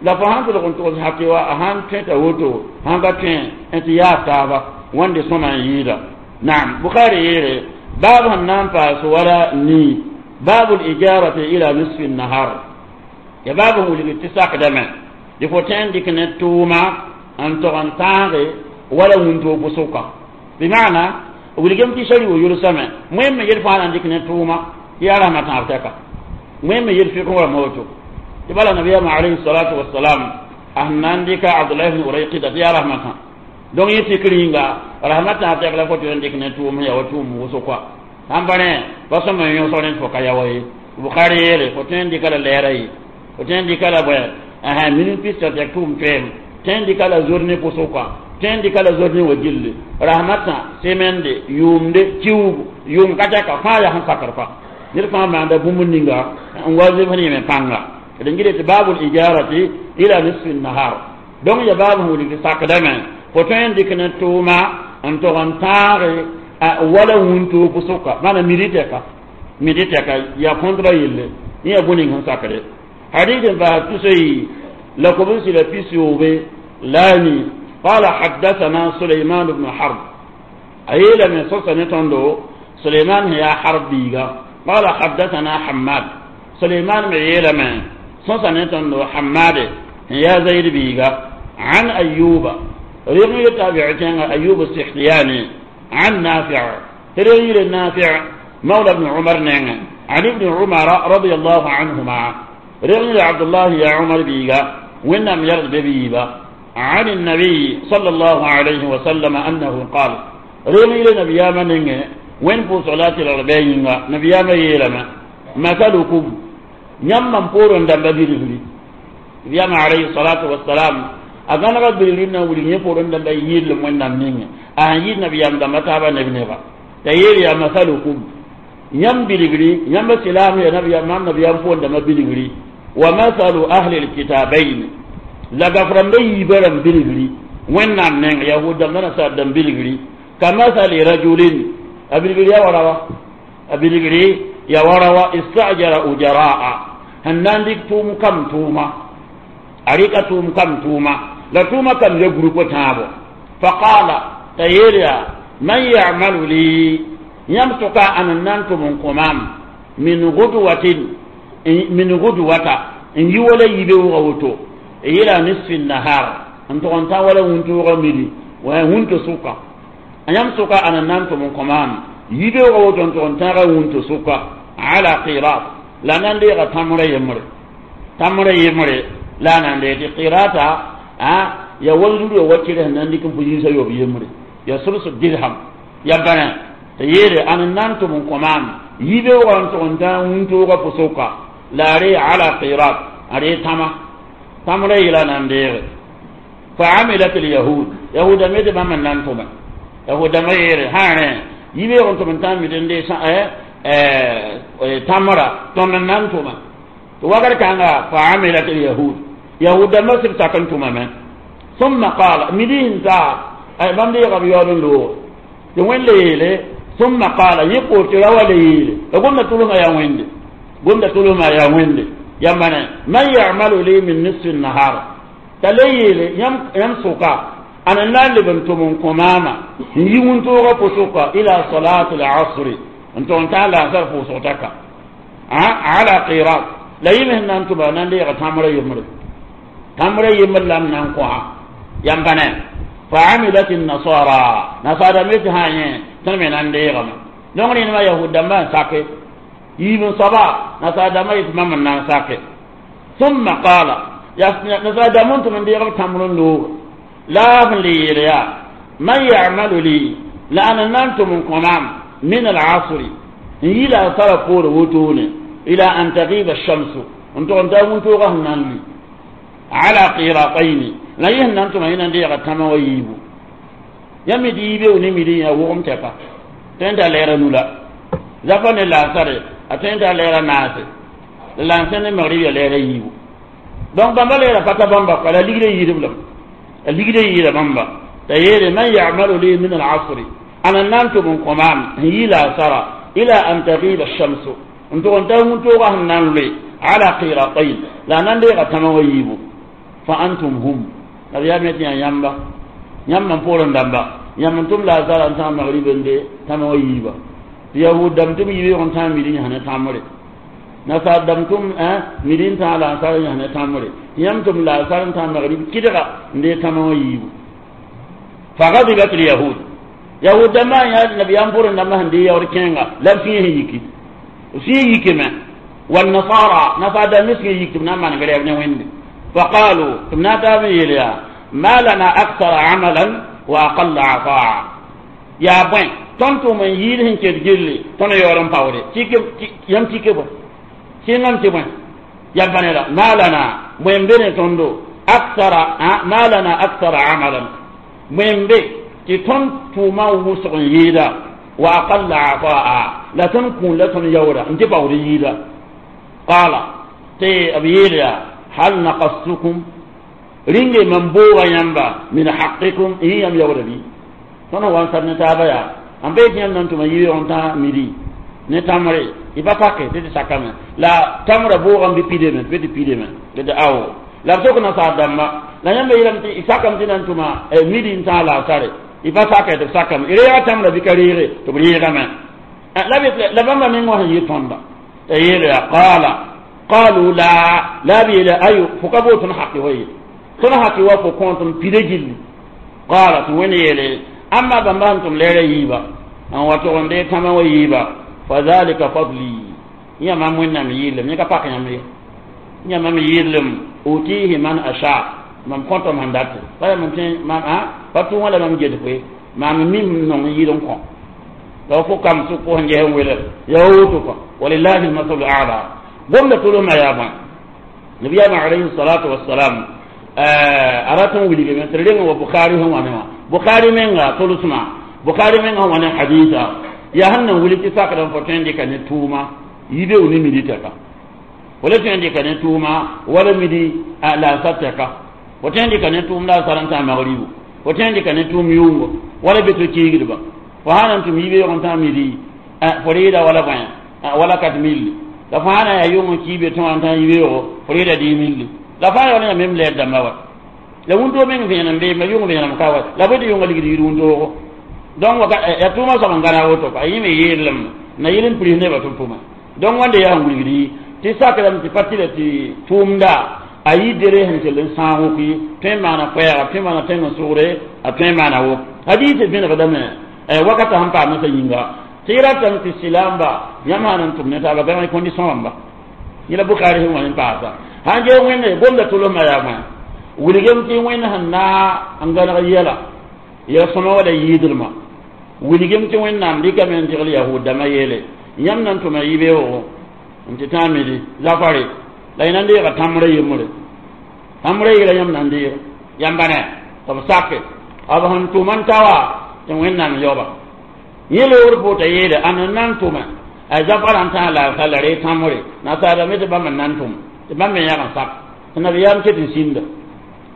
la fo sãn tʋlg n togs hake wa a sãn tõe t'a woto sãn ka tõe n tɩ yaas taaba wãnde sõma n yɩɩda naam Bukhari yeere baab sẽn na n paas wala nii baabu lijarati ila nisfi nahar ya baab sẽn wilg tɩ sakdame dɩ fo tõe n dɩk ne tʋʋma n tog n tãage wala wũntoog pʋsʋka bɩmaana wilgem tɩ sari wo yʋlsame wẽn me yel fãa na n dɩk ne tʋʋma tɩ yaa rasmã tãab tɛka wẽn me yel fɩk wã woto tɩ bala nabiyaamã alayhi salatu wasalam a sẽn na n dɩka Abdulahi bn Urayqida tɩ yaa rasmã tã donc yẽ fikr yĩnga rasmã tãab tɛk la fo tɩ n dɩk ne tʋʋm ya wa tʋʋm wʋsg kɔa sãn pa rẽ pa sõm n yõsg rẽ fo ka ya wa ye Bukhari yeele fo tõe n dɩka la lɛɛra ye fo tõe n dɩka la bõe minute pis tɛk tʋʋm toeem tõe n dɩka la journée pʋsg kɔa tõe n dɩka la journée wa gilli rasmã tã semende yʋʋmde kiuugu yʋʋm ka tɛka fãa yaa sẽn sakr kɔa ned fãa maanda bũmb ninga n wa zemsd yẽme pãnga d gɩd tɩ baabul ijarati ila nisfi nahar donc ya baab sẽn wilg tɩ sakdame fo tõe n dɩk ne tʋʋma n tog n tãage wala wũntoog pʋsʋka maana midi tɛka midi tɛka yaa contrat yelle Ya buning han sakre. Hadithin fa tusai lakum sila pisyobe lani قال حدثنا سليمان بن حرب أيلا من صوصة نتندو سليمان هي حرب بيغا قال حدثنا حماد سليمان ميلا من صوصة نتندو حماد هي زيد بيغا عن أيوب رغي تابعتين أيوب السختياني عن نافع رغي النافع مولى ابن عمر نعم عن ابن عمر رضي الله عنهما رغي عبد الله يا عمر بيغا وإنم يرد بيبا عن النبي صلى الله عليه وسلم أنه قال رغي لنبي من وين فو صلاة الأربعين نبي ما يلما مثلكم يمن بورن دم بيرغلي نبي عليه الصلاة والسلام أغانا بيرغلي ولي يبورن دم بيرغلي وين نمين أهيد نبي يم دم تابا نبي نبا تيري يا مثلكم يم بيرغلي يم سلام يا نبي ما نبي يم بورن دم بيرغلي ومثل أهل الكتابين لغفرن بيبرم بيرغلي وين نمين يهود دم نصار دم بيرغلي كمثل رجل أبيرغلي يا وراوا أبيرغلي يا وراوا استأجر أجراء هنان ديك توم كم توما أريك توم كم توما لا توما كم يغرق تابو فقال تيريا من يعمل لي يمسك أن ننتم قمام من غدوة من غدوة إن يولي يبيو إلى نصف النهار أنت أنت ولا وانتو غمدي وانتو سوكا يمسك أن ننتم قمام يبيو غوتو أنت أنت وانتو سوكا على قيراط لا نندي تمر يمر تمر يمر لا نندي قيراطا ها يا ولد وكيله نندي كم فيجي سيو يمر يا سلس درهم يا بنا تيري أن ننتم قمام يبيو غوتو أنت وانتو غفسوكا لا ري على قيراط أري تما تمر إلى نندي فعملت اليهود يهود ميد ما من ننتم يهود ما يري هانه يبيو غوتو أنت ميدن دي تمرة تمن ننتم وقال كان فعملت اليهود يهود ما سبتكنتم من ثم قال مدين تا أي من دي غبيان لو يوين ليلة ثم قال يقول ترى ليلة قلنا تلوما يا وين قلنا تلوما يا وين يا من من يعمل لي من نصف النهار تليل يم يمسك أنا لا لبنتم كماما يونتو غفسوكا إلى صلاة العصر أنتم أنت على صرف صوتك على قيراط لا يمهن أنتم أنا لي تمر يمر تمر يمر لم ننقع ينبنى فعملت النصارى نصارى مثل هاي تمن أن لي غم نغني ما يهود ما ساكت يبن صبا نصارى ما يتمم ساكت ثم قال يا نصارى منتم من دي غم تمر لو لا لي يا من يعمل لي لأن أنتم من قمام من العصر إلى صرفور وتون إلى أن تغيب الشمس أنتم أنتم تغهنن على قيراطين لا يهن أنتم هنا دي غتما ويبو يمدي يبي ونمدي يا وهم تفا تنتا ليرا نولا زفن العصر أتنتا ليرا ناس لانسن المغرب ليرا يبو دونك بامبا ليرا فتا بامبا قال ليغري يربلم ليغري يربلم بامبا تيري من يعمل لي من العصر أنا نمت من قمام إلى سرى إلى أن تغيب الشمس أنتم أنتم أنتم لي على قيراطين لا نندي غتمويبو فأنتم هم نبي أمتي يامبا يام بورن دامبا يام أنتم لا زال أنتم مغرب دي تمويبا يهود دمتم يبي أنتم مدين هنا تامري نصار دمتم أه مدين تعالى أنصار هنا تامري يامتم لا زال أنتم مغرب كده دي تمويبو فغضبت اليهود يهود ما يا نبي أنبور إنما هندي يوركينغا لم فيه يكي فيه يكي ما والنصارى نصارى مسك يكي نما نقول ابن وين فقالوا تمنا تابيليا ما لنا أكثر عملا وأقل عطاء يا بوين تنتو من يرهن كتجلي تنا يورم باوري تيك يم تيك بو سينم تبوين يا بني ما لنا وين بين تندو أكثر ما لنا أكثر عملا وين بي تون توما وسق يدا وأقل عطاء لا تنكون لا تنيورا انت باوري يدا قال تي أبيليا هل نقصتكم رينجي من بوغا ينبا من حقكم هي يم يورا بي تنو وان سرنا تابيا أم بيت يم ننتم يبي أنتا ميدي Ne tamre y pa pake tɩ tɩ sakame la tamrã bʋʋgame bɩ pidame tɩ tɩ pidame tɩ awo la b sok nasaar dãmba la yãmba yeelame tɩ y sakame tɩ na n tʋma midi n tãag laasare y pa sake tɩ b sakame y reega tamrã bɩ ka reege tɩ b reegame la la bãmba meng wã sẽn yɩ tõnda t'a yeele yaa qaala qalu la la b yeele ayo fo ka boot tõnd haki wa ye tõnd haki wa fo kõ tõnd pida gilli qaala tɩ wẽnd yeele amma bãmba sẽn tʋm lɛɛrã yiiba n wa tog n dee tãmã wa yiiba fadhalika fadli yã mam wẽnnaam yɩɩlem yẽ ka pak yãmb ye yã mam yɩɩlem utihi man asha mam kõtame sẽn date pa yaa mam tẽ mam a pa tʋʋngã la mam get koe mam mim nong yɩɩl n kõ la fo kam sʋk fo sẽn ges n welg yaa woto kõ walillahi almasalu ala gomda tʋlsmã yaa bõe nabiyaamã alayhi salatu wassalam a rat n wilgame tɩ reng wa bukhari sẽn wa ne wã bukhari menga tʋlsmã bukhari menga sẽn wa ne hadisa yaa sẽn nan wilg tɩ sakd n fo tõe n dɩka ne tʋʋma yibe ne midi tɛka wala tõe n dɩka ne tʋʋma wala midi la tɛka fo tõe n dɩka ne tʋʋm la a sar n tã magribu fo tõe n dɩka ne tʋʋm yʋngo wala be to kiigdba fo sã na n tʋm yibe n tã midi fo reeda wala bõe wala kat milli la fo sã na yaa yʋng n kiibe tõ wã n tã yibeoogo fo reeda dɩ milli la fãa yaool yã mem lɛɛr dãmba wa la wũntoo meng vẽenem bee ma yʋng vẽenem ka wa la bõe tɩ yʋngã ligd yir wũntoogo donc ya tʋʋmã soab n gãna woto a yẽ me yeellem na yɩl n pirs nebã tɩ b tʋma donc wãnde yaa n wilgd tɩ sakrame tɩ pa tɩla tɩ tʋʋmda a yɩ dere sẽn kell n sãag wʋk ye tõe n maana koɛɛga tõe n maana tẽng n sʋgre a tõe n maana wʋk hadiis vẽnegdame wakata sẽn paam sã yĩnga tɩ y ratame tɩ silaamba yãmb sã na n tʋm ne taaba gãg condition rãmba yẽla Bukhari sẽn wa n paasa sãn gee wẽnde gomda tʋlsmã yaa bõe wilgem tɩ wẽnd sẽn na n gãneg yɛla yɛl sõma wala yɩɩdlmã wilgem tɩ wẽnnaam dɩkame n dɩgl yahud dãmbã yeele yãmb na n tʋma yibeoogo n tɩ tã midi zafare la y na n deega tãmbrã yembre tãmbrã yɩla yãmb na n deega yãmba ne tɩ b sake b sẽn tʋm n ta wa tɩ wẽnnaam yaoba yẽ loogr pʋʋta yeele ãn n na n tʋme a zafara n tã laasa la ree tãmbre nasaara me tɩ bãmb n na n tʋm tɩ bãmb me yãg n sak tɩ nabiyaam ket n sĩnda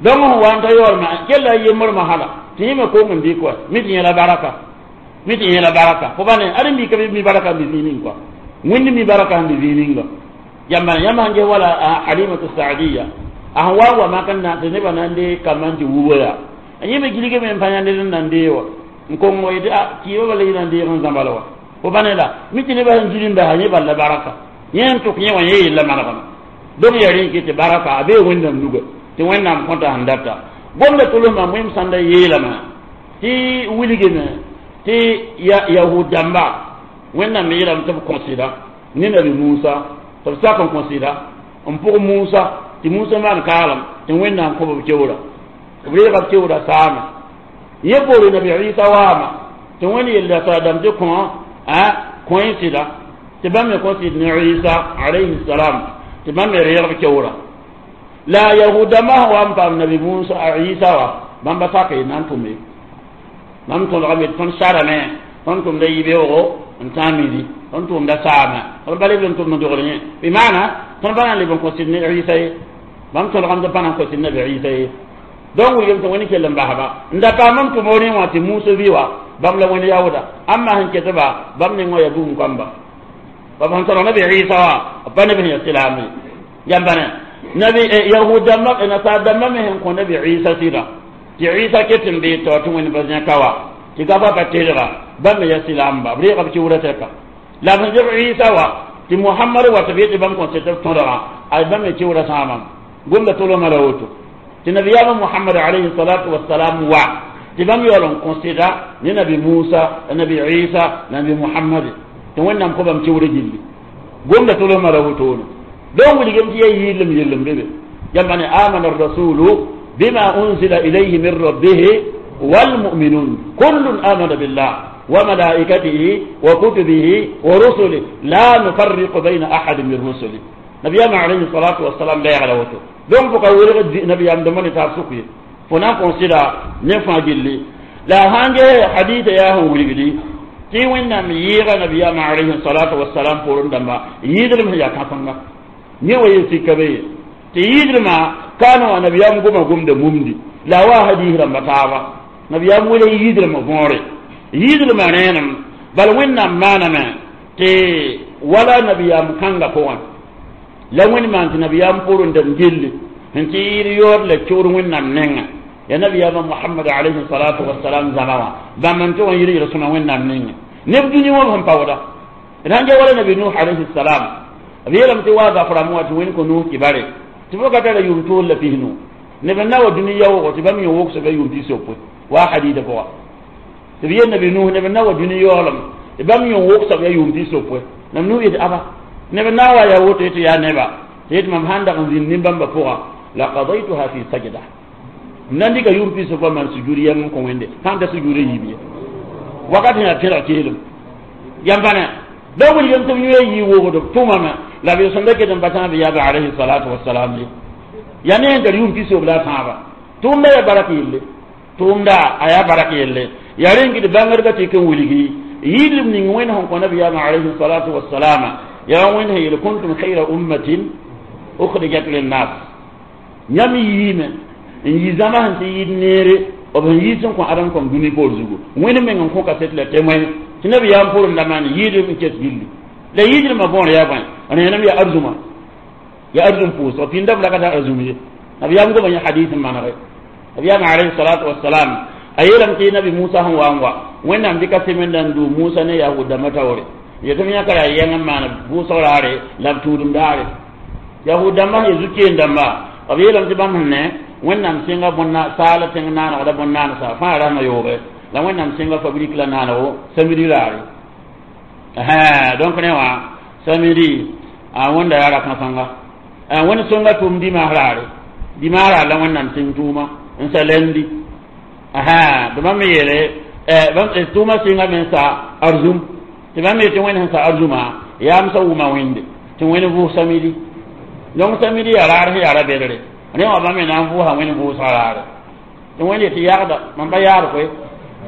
donc sẽn wa n ta yaoolmã kella a yembrmã hala tɩ yẽ me kong n dɩk wa mi tɩ yẽla baraka mi tɩ yẽla baraka fo ba ne ad n mika mi baraka n bɩ zĩig ning kɔa wẽnd mi baraka n bɩ zĩig ninga yãmba yãmb sãn ges wala Halimatu Saadiya a sẽn wa n wa mak n na tɩ nebã na n dee kambã n tɩ wubo yaa yẽ me gilgame n pa yãnd n na n dee wa n kong wa yetɩ a kɩɩbã bala yɩ na n deeg n zãbal wa fo ba ne la mi tɩ nebã sẽn gil n basa yẽ bal la baraka yẽ n tʋk yẽ wã yẽ yella manegame donc yaa rẽ n ket tɩ baraka a bee wẽnnaam nuga tɩ wẽnnaam kõta sẽn data gomda tʋlsmã wẽm sãnda yeelame tɩ wilgame tɩ yahud dãmba wẽnnaam me yeelame tɩ b kõsɩda ne nabi Musa tɩ b sak n kõsɩda n pʋg Musa tɩ Musa maan kaalem tɩ wẽnnaam kõ b keoora b reega b keoora saame yẽ poore nabi Isa waama tɩ wẽnd yella saadam tɩ kõ a kõ y sɩda tɩ bãmb me kõ sɩd ne Isa alayhi salam tɩ bãmb me reeg b keoora la yahud dãmbã sẽn wa n paam nabi Musa Isa wa bãmba sak y na n tʋme bãmb tõdgame tɩ tõnd sarame tõnd tʋmda yibeoogo n tã midi tõnd tʋmda saame tõnd pa leb n tʋmd n dogl yẽ bɩ maana tõnd pa na n leb n kõ sɩd ne Isa ye bãmb tõdgame tɩ pa na n kõ sɩd nabi Isa ye donc wilgem tɩ wẽnd kell n basba n da paam n tʋm rẽ wã tɩ Musa bɩ wa bãmb la wẽnd yaooda ãmba sẽn ketba bãmb neng wã yaa bugum kãmba b sẽn tõdg nabi Isa wã b pa neb sẽn yaa silaam ye yãmba ne nabi yahud dãmbã nasaar dãmbã me sẽn kõ nabi Isa sɩda tɩ Isa ket n bee tao tɩ wẽnd pa zẽka wa tɩ gaba pa tedga bãmb me yaa silaamba b reega b kiuurã tɛka la b sẽn zeb Isa wa tɩ Mohamad wa tɩ b yetɩ bãmb kõ sɩd tɩ b tõdga a bãmb me kiuurã sãamame gomda tolmã la woto tɩ nabiyaamã Mohamad alayhi salatu wasalam wa tɩ bãmb yaool n kõ sɩda ne nabi Musa la nabi Isa la nabi Mohamad tɩ wẽnnaam kõ bãmb kiuurã gilli gomda tolmã la wotone donc wilgem tɩ yaa yɩɩlem yellem bebe yãmba ne amana rasulu bima unzila ilayhi min rabbih والمؤمنون كل آمن بالله وملائكته وكتبه ورسله لا نفرق بين أحد من رسله نبينا عليه الصلاة والسلام لا يعلم وتو donc fo ka welg nabiyam dãmbã ne taab sʋk ye fo na n kõ sɩda ne fãa gilli la a sãn ges hadita yaa sẽn wilgdi tɩ wẽnnaam yɩɩga nabiyaamã alayhi salatu wasalam poorẽ dãmba yɩɩdlem sẽn yaa kãsenga yẽ wa yel sika be ye tɩ yɩɩdlmã kaana wã nabiyaam goma gomda mumdi la a wa hadiis rãmba taaba nabiyaam wela yɩɩdlmã võore yɩɩdlmã rẽenem bal wẽnnaam maaname Tɩ wala nabiyaam kãngã pʋgẽ la wẽnd maan tɩ nabiyaam pʋrẽ dãmb gilli sẽn tɩ yɩɩd yood la kiuud wẽnnaam nengã ya nabiyaamã Mohamad alayhi salatu wasalam zãma wã bãmb n tʋg n yɩl yel-sõma wẽnnaam nengẽ neb dũni wã sẽn paooda d sãn ja wala nabi Nuh alayhi salam b yeelame tɩ waa gaf rãmb wã tɩ wẽnd kõ Nuh tɩ bare tɩ fo ka tara yʋʋm toor la pisnu neb n na wa dũni yaoogo tɩ bãmb yẽ wogsba yʋʋm pis-yopoe waa hadiida pʋga tɩ b yel nabi Nuh neb n na wa dũni yaoolem tɩ bãmb yẽ wogsb ya yʋʋm pis-yopoe nam Nuh yetɩ aba neb n na n wa yaa woto tɩ yaa neba tɩ yetɩ mam sãn dag n zĩnd nin-bãmbã pʋga la qadaytuha fi sajda m na n dɩka yʋʋm pis-yopoe maan sujud yɛng n kõ wẽnde sãn ta sujud n yiib ye wakat sẽn yaa pẽlg keelem yam pa ne da wilgem tɩ b yũ yii wogd b tʋmame la b sõmda ket n pa tãab yaaba alayhi salatu wasalam ye ya ne sẽn tar yʋʋm pis-yob la a tãaba tʋʋmda yaa barak yelle tʋʋmda a yaa barak yelle yaa rẽn kɩ bãngdbã tɩ n wilgi yɩɩdb ning wẽnd sẽn kõ nabiyaamã alayhi salatu wasalama yaa wẽnd sẽn yeel kuntum khayra ummatin ukhrijat linnas yãmb yiime n yi zãma sẽn tɩ yɩɩd neere b sẽn yiis n kõ adam kõm dũni poor zugu wẽnd meng n kõ kaset la témoin tɩ nabiyaam pʋrẽnda maan yɩɩdb n kes gilli la yɩɩdrmã võor yaa bõe rẽenem yaa arzũma yaa arzũm pʋʋsg pĩndame la ka tar arzũm ye nabiyaam goma yẽ hadis n manege nabiyaam alayhi salatu wasalam a yeelame tɩ nabi Musa sẽn wa n wa wẽnnaam dɩka sɩmenda n du Musa ne yahud dãmbã taoore yetɩ m yãka yaa yɛng n maan vʋʋsg raare la b tũudem daare yahud dãmbã sẽn zu-keen dãmba b yeelame tɩ bãmb sẽn ne wẽnnaam sẽnga bõn saala tẽng naanegda bõn-naansa fãa rasmã yooge la wẽnnaam sẽnga fabrique la naanego samedi raare donc ne wã samedi a wẽnda yaa ra-kãsẽnga wẽnd sõnga tʋʋm dimaas raare dimaas raar la wẽnnaam sẽng tʋʋma n sa lendi tɩ bãmb me yeele tʋʋma sɩnga me n sa arzũm tɩ bãmb yetɩ wẽnd sẽn sa arzũma yaam sa wʋma wẽnde tɩ wẽnd vʋʋs samedi donc samedi yaa raar sẽn yaa ra-bɛdre rẽ wã bãmb me na n vʋʋsa wẽnd vʋʋsga raare tɩ wẽnd yetɩ yagda mam pa yaad koe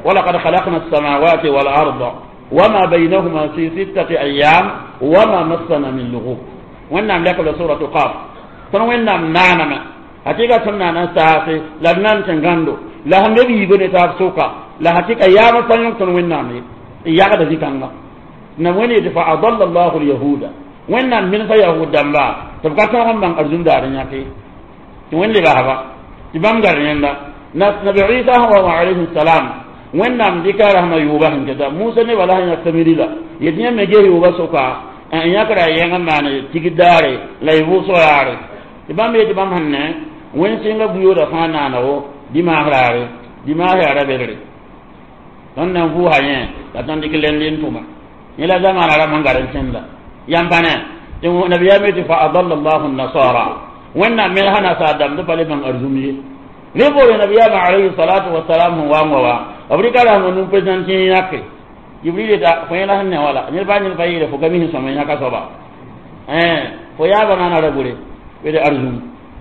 ولقد خلقنا السماوات والأرض وما بينهما في ستة أيام وما مسنا من لغوب وإنهم لك سورة قاف tõnd wẽnnaam naaname hakɩka tõnd naan n saase la d nan tɩ gãndo la sẽn be b yiibã ne taab sʋka la hakɩka yaamã pa yõk tõnd wẽnnaam ye n yagda zĩ-kãnga na wẽnd yetɩ fa adalla llahu lyahuda wẽnnaam minsa yahud dãmba tɩ b ka tõog n bãng arzũm daar n yãke tɩ wẽnd le basba tɩ bãmb gar yẽnda nabi Isa sẽn wa wã alayhi salam wẽnnaam dɩka rasmã yʋʋba sẽn keta Musa nebã la sẽn yãk samidi la yetɩ yãmb me ges yʋʋba sʋka n yãkra yẽng n maan tigd daare la y vʋʋsg raare tɩ bãmb yetɩ bãmb sẽn ne wẽnd sẽnga bu-yooda fãa naanego dimaas raare dimaas yaa ra-bɛdre tõnd na n vʋʋsa yẽ la tõnd dɩk lend n tʋma yẽ la zamaana rãmb sẽn gar n sẽnda yãmb pa ne tɩ nabiyaam yetɩ fa adalla llahu nasara wẽnnaam mensã nasaar dãmb tɩ pa le bãng arzũm ye rẽ boore nabiyaamã alayhi salatu wasalam sẽn wa n wa wa b rɩka rasmã num président tɩ yãke Jibril yeta fo yẽla sẽn ne wala ned baa ned pa yeele fo ka mi sẽn sõm n yãka soaba fo yaabã naana ra bure bede arzũm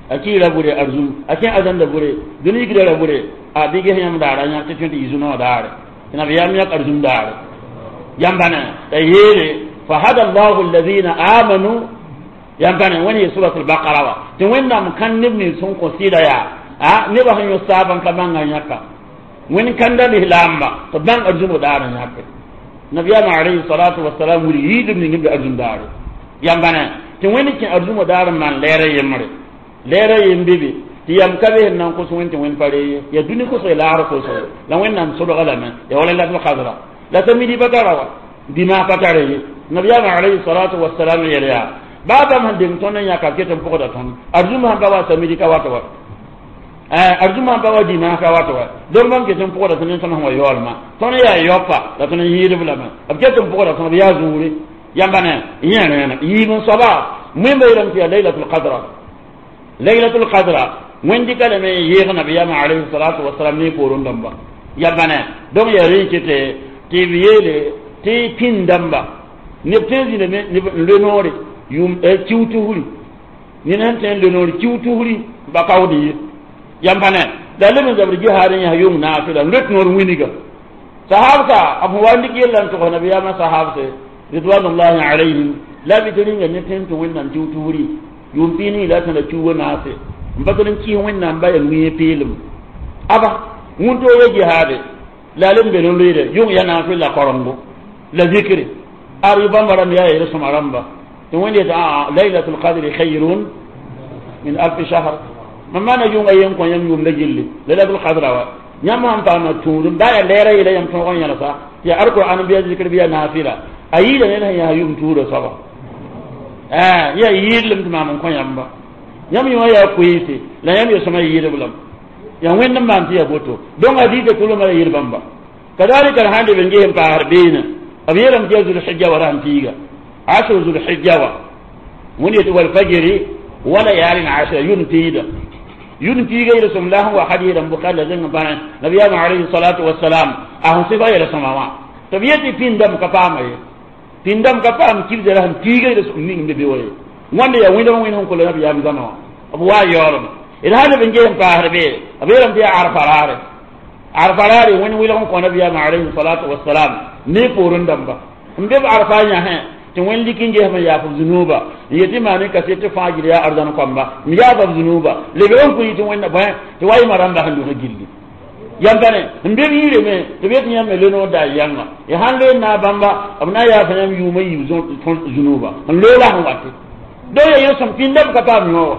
a kiira bure arzũm a kẽ azãnda bure dũni yikda ra bure a bɩ ges yãmb daara yãk tɩ tõe tɩ yɩ zu-noog daare tɩ nabiyaam yãk arzũm daare yãmba ne t'a yeele fa hada llahu alladhina amanu yãmb pa ne wẽnd yee surat albaqara wa tɩ wẽnnaam kãn neb nins sẽn kõ sɩda yaa a nebã sẽn yõ saab n ka bãngã yãka wẽnd kãnda lislaamba tɩ bãng arzũmg daar n yãke nabiyaamã alayhi salatu wasalam wilg yɩɩdb ning b arzũm daare yãmba ne tɩ wẽnd kẽ arzũmã daar n maan lɛɛrã yembre lɛɛrã yem be tɩ yam ka be sẽn na n kos wẽnd tɩ wẽnd pa ree ye yaa dũni kosg laagr kosg la wẽnnaam sodga lame yaa wala lat qadra la samidi pa tara wa dimaas pa tara ye nabiyaamã alayhi salatu wasalam yel yaa baa bãmb sẽn deng tõnd n yãka b ket n pʋgda tõnd arzũm sãn pa wa samidi ka wat wa arzũm sãn pa wa dimaas ka wat wa donc bãmb ket n pʋgda tõnd n tõnd sẽn wa yaoolmã tõnd yaa yaopa la tõnd n yɩɩdb lame b ket n pʋgda tõnd b yaa zũure yãmba ne yẽ rẽena yiib n soaba wẽmba yeelame tɩ yaa laylatul qadra laylatul qadra wẽnd dɩka lame n yɩɩg nabiyaamã alayhi salatu wasalam ne poorẽ dãmba yãmba ne donc yaa rẽ kɩtɛ tɩ b yeele tɩ pĩnd dãmba neb tõe n zĩndame neb n loe noore yʋʋm kiu tusri ned sẽn tõe n loe noore kiu tusri ba kaood ye yãmba ne la leb n zabr jihaad n yãs yʋng naafɩla n loet noor winiga sahabsa b sẽn wa n dɩk yella n togs nabiyaamã sahabse ridwanullahi alayhim la bɩ tɩ rĩnga ne tõe n tɩ wẽnnaam kiu tusri yʋʋm pii nii la tõe la kiuugã naase n pa tɩ n kɩɩs wẽnnaam ba yaa wĩe peelem aba wũntooga jihaade la a leb n be n loeede yʋng ya naafɩl la korengo la zikre Ar bãmba rãmb yaa yel sõma rãmba tɩ wẽnd yetɩ aa laylatul qadri khayrun min alfi shahr. Mam maana yʋnga yen kõ yãmb yʋʋmda gilli laylatul qadra wa yãmb sãn paama tũudum baa yaa lɛɛra yeela yãmb tõog n yẽlsa tɩ yaa alqur'an bɩ ya zikr bɩ ya naafila a yiida ned sẽn yaa yʋʋm tuurã soaba yaa yɩɩdlem tɩ maam n kõ yãmba yãmb yõ yaa koeese la yãmb ya sõma yɩɩdb lame yaa wẽnd n maan tɩ yaa boto donc a dɩɩda tʋlmã la yel bãmba kadalika sãn leb n ges n paasd beene b yeelame tɩ yaa zulhijja wa rasem piiga asr zulhijja wa wẽnd yetɩ walfajri wa layalin ashra yʋn piida yʋn piiga yel sõm la sẽn wa hadɩɩd n Bukhari la zẽng n pa nabiyaamã alayhi salatu wasalam a sẽn sɩfa yel sõma wã tɩ b yetɩ pĩndame ka paama ye pĩndame ka paam kibsã la sẽn piiga yel sõm ning n be be wa ye wãnda yaa wẽndame wẽnd sẽn kola nabiyaam zãma wã b waa yaoolme d sã leb n ges n paasd be b yeelame tɩ yaa arfa raare arfa raare wẽnd wɩlg n kõ nabiyaamã alayhi salatu wasalam ne poorẽ dãmba n be b arfa yãsẽ tɩ wẽnd lik n gesm n yaaf b zunuuba n yetɩ maa ne kaset tɩ fãa gil yaa arzãn koamba n yaafa b zunuuba lebg n kʋ tɩ wẽnda bõe tɩ wa yɩma rãmba sẽn lʋsg gilli yãmb pa ne n be b yĩre me tɩ b yetɩ yãmb me le noor da yãnga ya sãn loe n na bãmba b na n yaafa yãmb yʋʋmã yiib zunuuba n loog la sẽn wate donc ya yel-sõm pĩndame ka paam yõ wa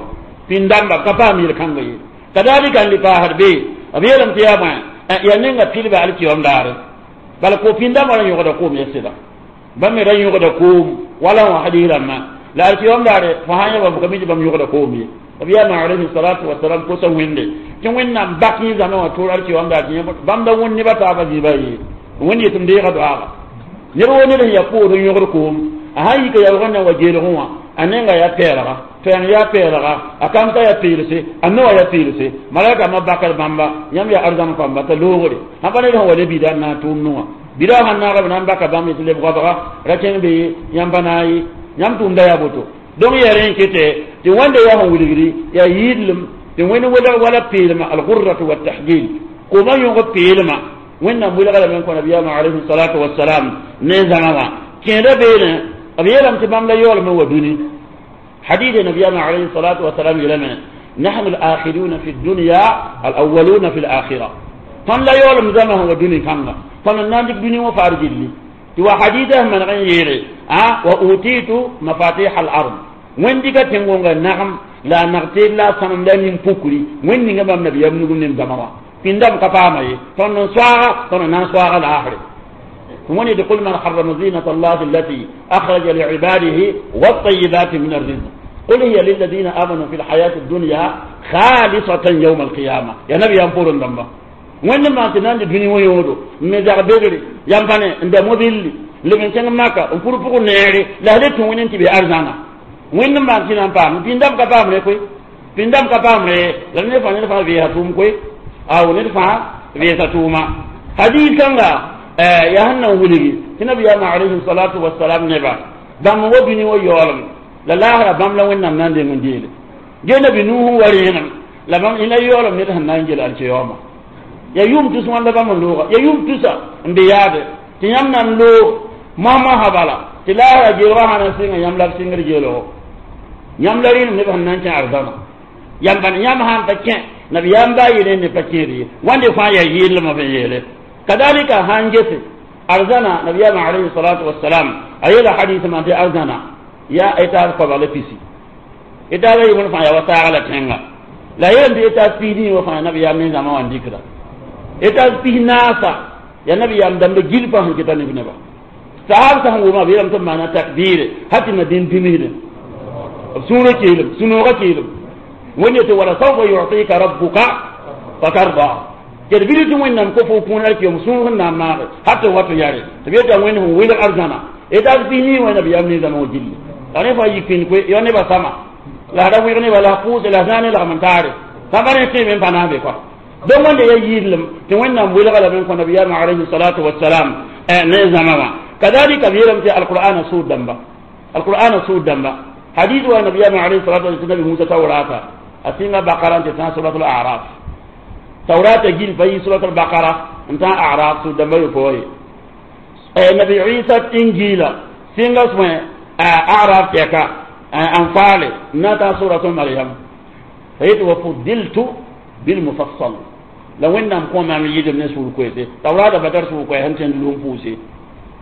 pĩndãmba ka paam yel-kãnga ye kadalika n le paasd be b yeelame tɩ yaa bõe yaa ninga pilba alkiyom daare bala ko pĩndãmbã ra yõgda koom ya sɩda bãmb me ra yõgda koom wala wã hadiis rãmbã la alkiyom daare fo sã n yã bãmb ka mi tɩ bãmb yõgda koom ye b yaama alayhi salatu wasalam kosa wẽnde tɩ wẽnnaam bak yẽ zãma wã tʋʋr alkiyom daar tɩ bãmb da wẽnd nebã taabã zĩiba ye wẽnd yetɩ m deega doaaga ned wo ned sẽn yaa poor n yõgd koom a sãn yika yaoogẽ na wa geelgẽ wã a nenga yaa pɛɛlga toɛɛng yaa pɛɛlga a kamsã yaa peelse a noa yaa peelse malaka ma bakr bãmba yãmb yaa arzãn kãmba t'a loogre sãn pa ned sẽn wa le bida n na n tʋʋm nuwã bida sãn naaga b na n baka bãmb tɩ leb goabga ra kẽng be yãmb pa na n ye yãmb tʋʋmda yaa boto donc yaa rẽ n kete tɩ wẽnda yaa sẽn wilgri yaa yɩɩdlem tɩ wẽnd welg wala peelma algurratu watahjil kooma yõg peelma wẽnnaam wilga lame n kõ nabiyaamã alayhi salatu wasalam ne zãma wã kẽeda beene b yeelame tɩ bãmb la yaoolme wa dũni حديث نبينا عليه الصلاة والسلام يلمن نحن الآخرون في الدنيا الأولون في الآخرة فن لا يولم زمه ودنيا كanga فن ناندك دنيا وفارج لي تو حديثه من غير أه وأوتيت مفاتيح الأرض وين ديك تنغونغا نعم لا نغتي لا سنم لا نين بوكري وين نيغا بام نبي يمنو نين زموا فيندم كفاما فن سواغا فن نان سواغا الآخر وين يقول من حرم زينة الله التي أخرج لعباده والطيبات من الرزق قل هي للذين آمنوا في الحياة الدنيا خالصة يوم القيامة يا نبي ينفور اللمبة وين ما تنان الدنيا ويودو مزاق بدري ينفني عند موبيل لمن كان ماكا نفور فوق نيري لا هلت وين انت بأرزانا وين ما تنان بام بيندم كبام لكوي بيندم كبام لي لن يفعل نفع فيها توم كوي أو نفع فيها توما حديث كان يا هنا ولي النبي عليه الصلاة والسلام نبا بام ودني ويولم la laasra bãmb la wẽnnaam na n deng n deele ge nabi nuhu wa rẽenem la bãmb ina yaoolem ned sẽn na n gel alkiyaooma ya yʋʋm tus wãnda bãmb n looga ya yʋʋm tusa n be yaade tɩ yãmb na n loog moas-moasã bala tɩ laasra geelgã sã na n sɩnga yãmb la b sɩngd geelgo yãmb la rẽenem neb sẽn na n kẽ arzãna yãmb bãn yãmb sãn pa kẽ nabiyaam baa yele ne pa kẽed ye wãnde fãa yaa yɩɩdlmã f n yeele kadalika sãn gese arzãna nabiyaamã alayhi salatu wasalam a yeela hadis maan tɩ arzãna ya étage koabg la pisi étage ayi wẽnd fãa yaa wa saag la tẽnga la yeelame tɩ étage pis nii wã fãa nabiyaam ne zãma wã n dɩkda étage pis naasa yaa nabiyaam dãmba gil fãa sẽn keta neb neba sahab sã n wʋma b yeelame tɩ b maana takbire hal tɩ madin dũmisdẽ b sũurã keelem sũ-noogã keelem wẽnd yetɩ wala saufa yutika rabbuka fatarda ked bɩ tɩ wẽnnaam ko fo kũun alkiyom sũur sẽn na n maage hal tɩ wato yare tɩ b yeta wẽnd sẽn wilg arzãna étage pis nii wã nabiyaam ne zãma wã gilli la ne fãa yik pĩnd koe ya nebã sama la ra wɩg neba la pʋʋse la zãa ne lagm n taare sãmba ne tẽeme n pa na n be kɔa donc wẽnda yaa yɩɩdlem tɩ wẽnnaam welga lame n kõ nabiyaamã alayhi salatu wasalam ne zãma wã kadalika b yeelame tɩ alqur'ana sʋʋd dãmba alqur'ana sʋʋd dãmba hadis wa nabiyaamã alayhi salatu wasalam nabi musa taurata a sɩnga bakara n tɩ tã suratul araf taurata gil pa yi suratul bakara n tã araf sʋʋd dãmba yopoe ye nabi isa injila sɩnga sõe أعراف تيكا أنفال ناتا سورة مريم فيت وفضلت بالمفصل لو إن نقوم من يجد من سورة كويسة توراة بدر سورة كويسة هنتين لهم فوسي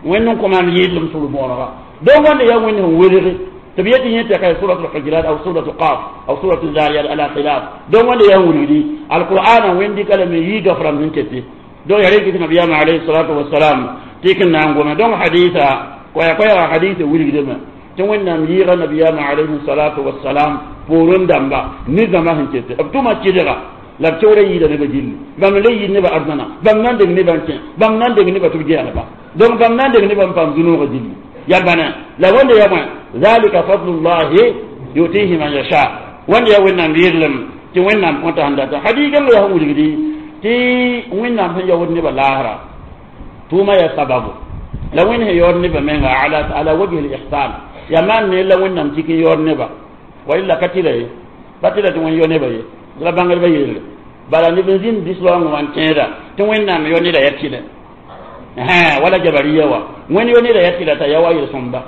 Wẽnd n kõ maam yɩɩdlem sʋr bõonega donc wãnda yaa Wẽnd sẽn welge tɩ b yet tɩ yẽ tɛka surat alhujurat aw surat qaf aw surat zariyat ala khilaf. Donc wãnda yaa n wilgdi alqur'ana Wẽnd dɩka lame yii gafram sẽn kete. Donc ya rẽ kɩ nabiyaamã alayhi salatu wasalam tɩ k n na n gome. Donc hadisa koɛɛ koɛɛga hadisa wilgdame tɩ Wẽnnaam yɩɩga nabiyaamã alayhi salatu wasalam poorẽ dãmba ne zãma sẽn kete b tʋma kɩdga la b keoora yɩɩda nebã gilli bãmb le yɩɩd nebã arzãna bãmb na n deng nebã n kẽ bãmb na n deng nebã tɩ b geelba. Donc bãmb na n deng nebã n paam zũ-noogã gilli ya bãna la wẽnda ya bõe zalika fadlullahi yutihi man yasha. Wẽnda yaa Wẽnnaam yɩɩdlem tɩ Wẽnnaam kõta sẽn data hadiigãngã yaa sẽn wilgdi tɩ Wẽnnaam sẽn yaood nebã laasra tʋʋma yaa sababu la Wẽnd sẽn yaood nebã menga ala ala wajhi l-ihsan ya maan ne la Wẽnnaam tik n yaood neba wa illa ka tɩla ye pa tɩla tɩ Wẽnd yao nebã ye la bãngdbã yelle bala neb n zĩnd dislaoongã wã n tẽeda tɩ Wẽnnaam yao neda yaa tɩlɛ wala jabariya wa Wẽnd yao neda yaa tɩla t'a yaa wa yel-sõmda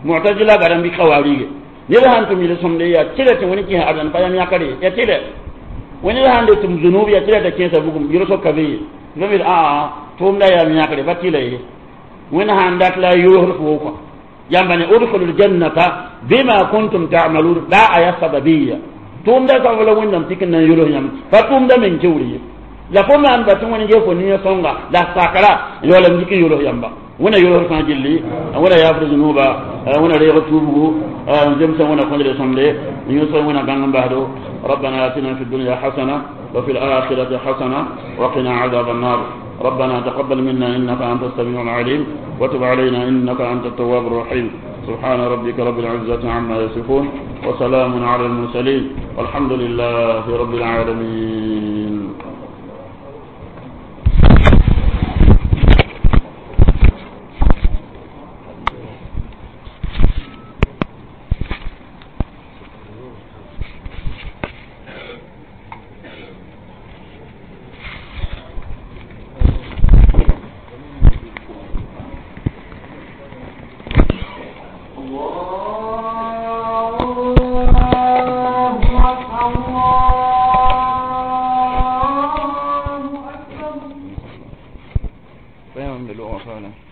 mu'tazila garã bɩ kawarige ned sãn tʋm yel-sõmde yaa tɩla tɩ Wẽnd kẽesa arzãn pa yam yãkr ye yaa tɩlɛ Wẽnd sãn de tʋm zunub yaa tɩla t'a kẽesa bugum yel-soka ka be ye bãmb yeel aa tʋʋmda yaam yãkre pa tɩla ye Wẽnd sãn dat la a yoosd fo kõ yãmba ne udkhulu ljannata bima kuntum ta'malun la aya sababiyya tʋʋmda sabab la Wẽnnaam tɩk n na n yols yãmb pa tʋʋmda meng kewr ye la fo maan ba tɩ Wẽnd ge fo nin sõnga la sakra yaoolame dɩk n yols yãmba. Wẽnna yols fãa gilli Wẽnna yaafd zũnuuba Wẽnna reeg tuubgu n zemsã Wẽnna kõdre sõmde n yõsg Wẽnna bãng n basdo. ربنا آتنا في الدنيا حسنة وفي الآخرة حسنة وقنا عذاب النار. ربنا تقبل منا إنك أنت السميع العليم وتب علينا إنك أنت التواب الرحيم. سبحان ربك رب العزة عما يصفون وسلام على المرسلين والحمد لله رب العالمين. الله.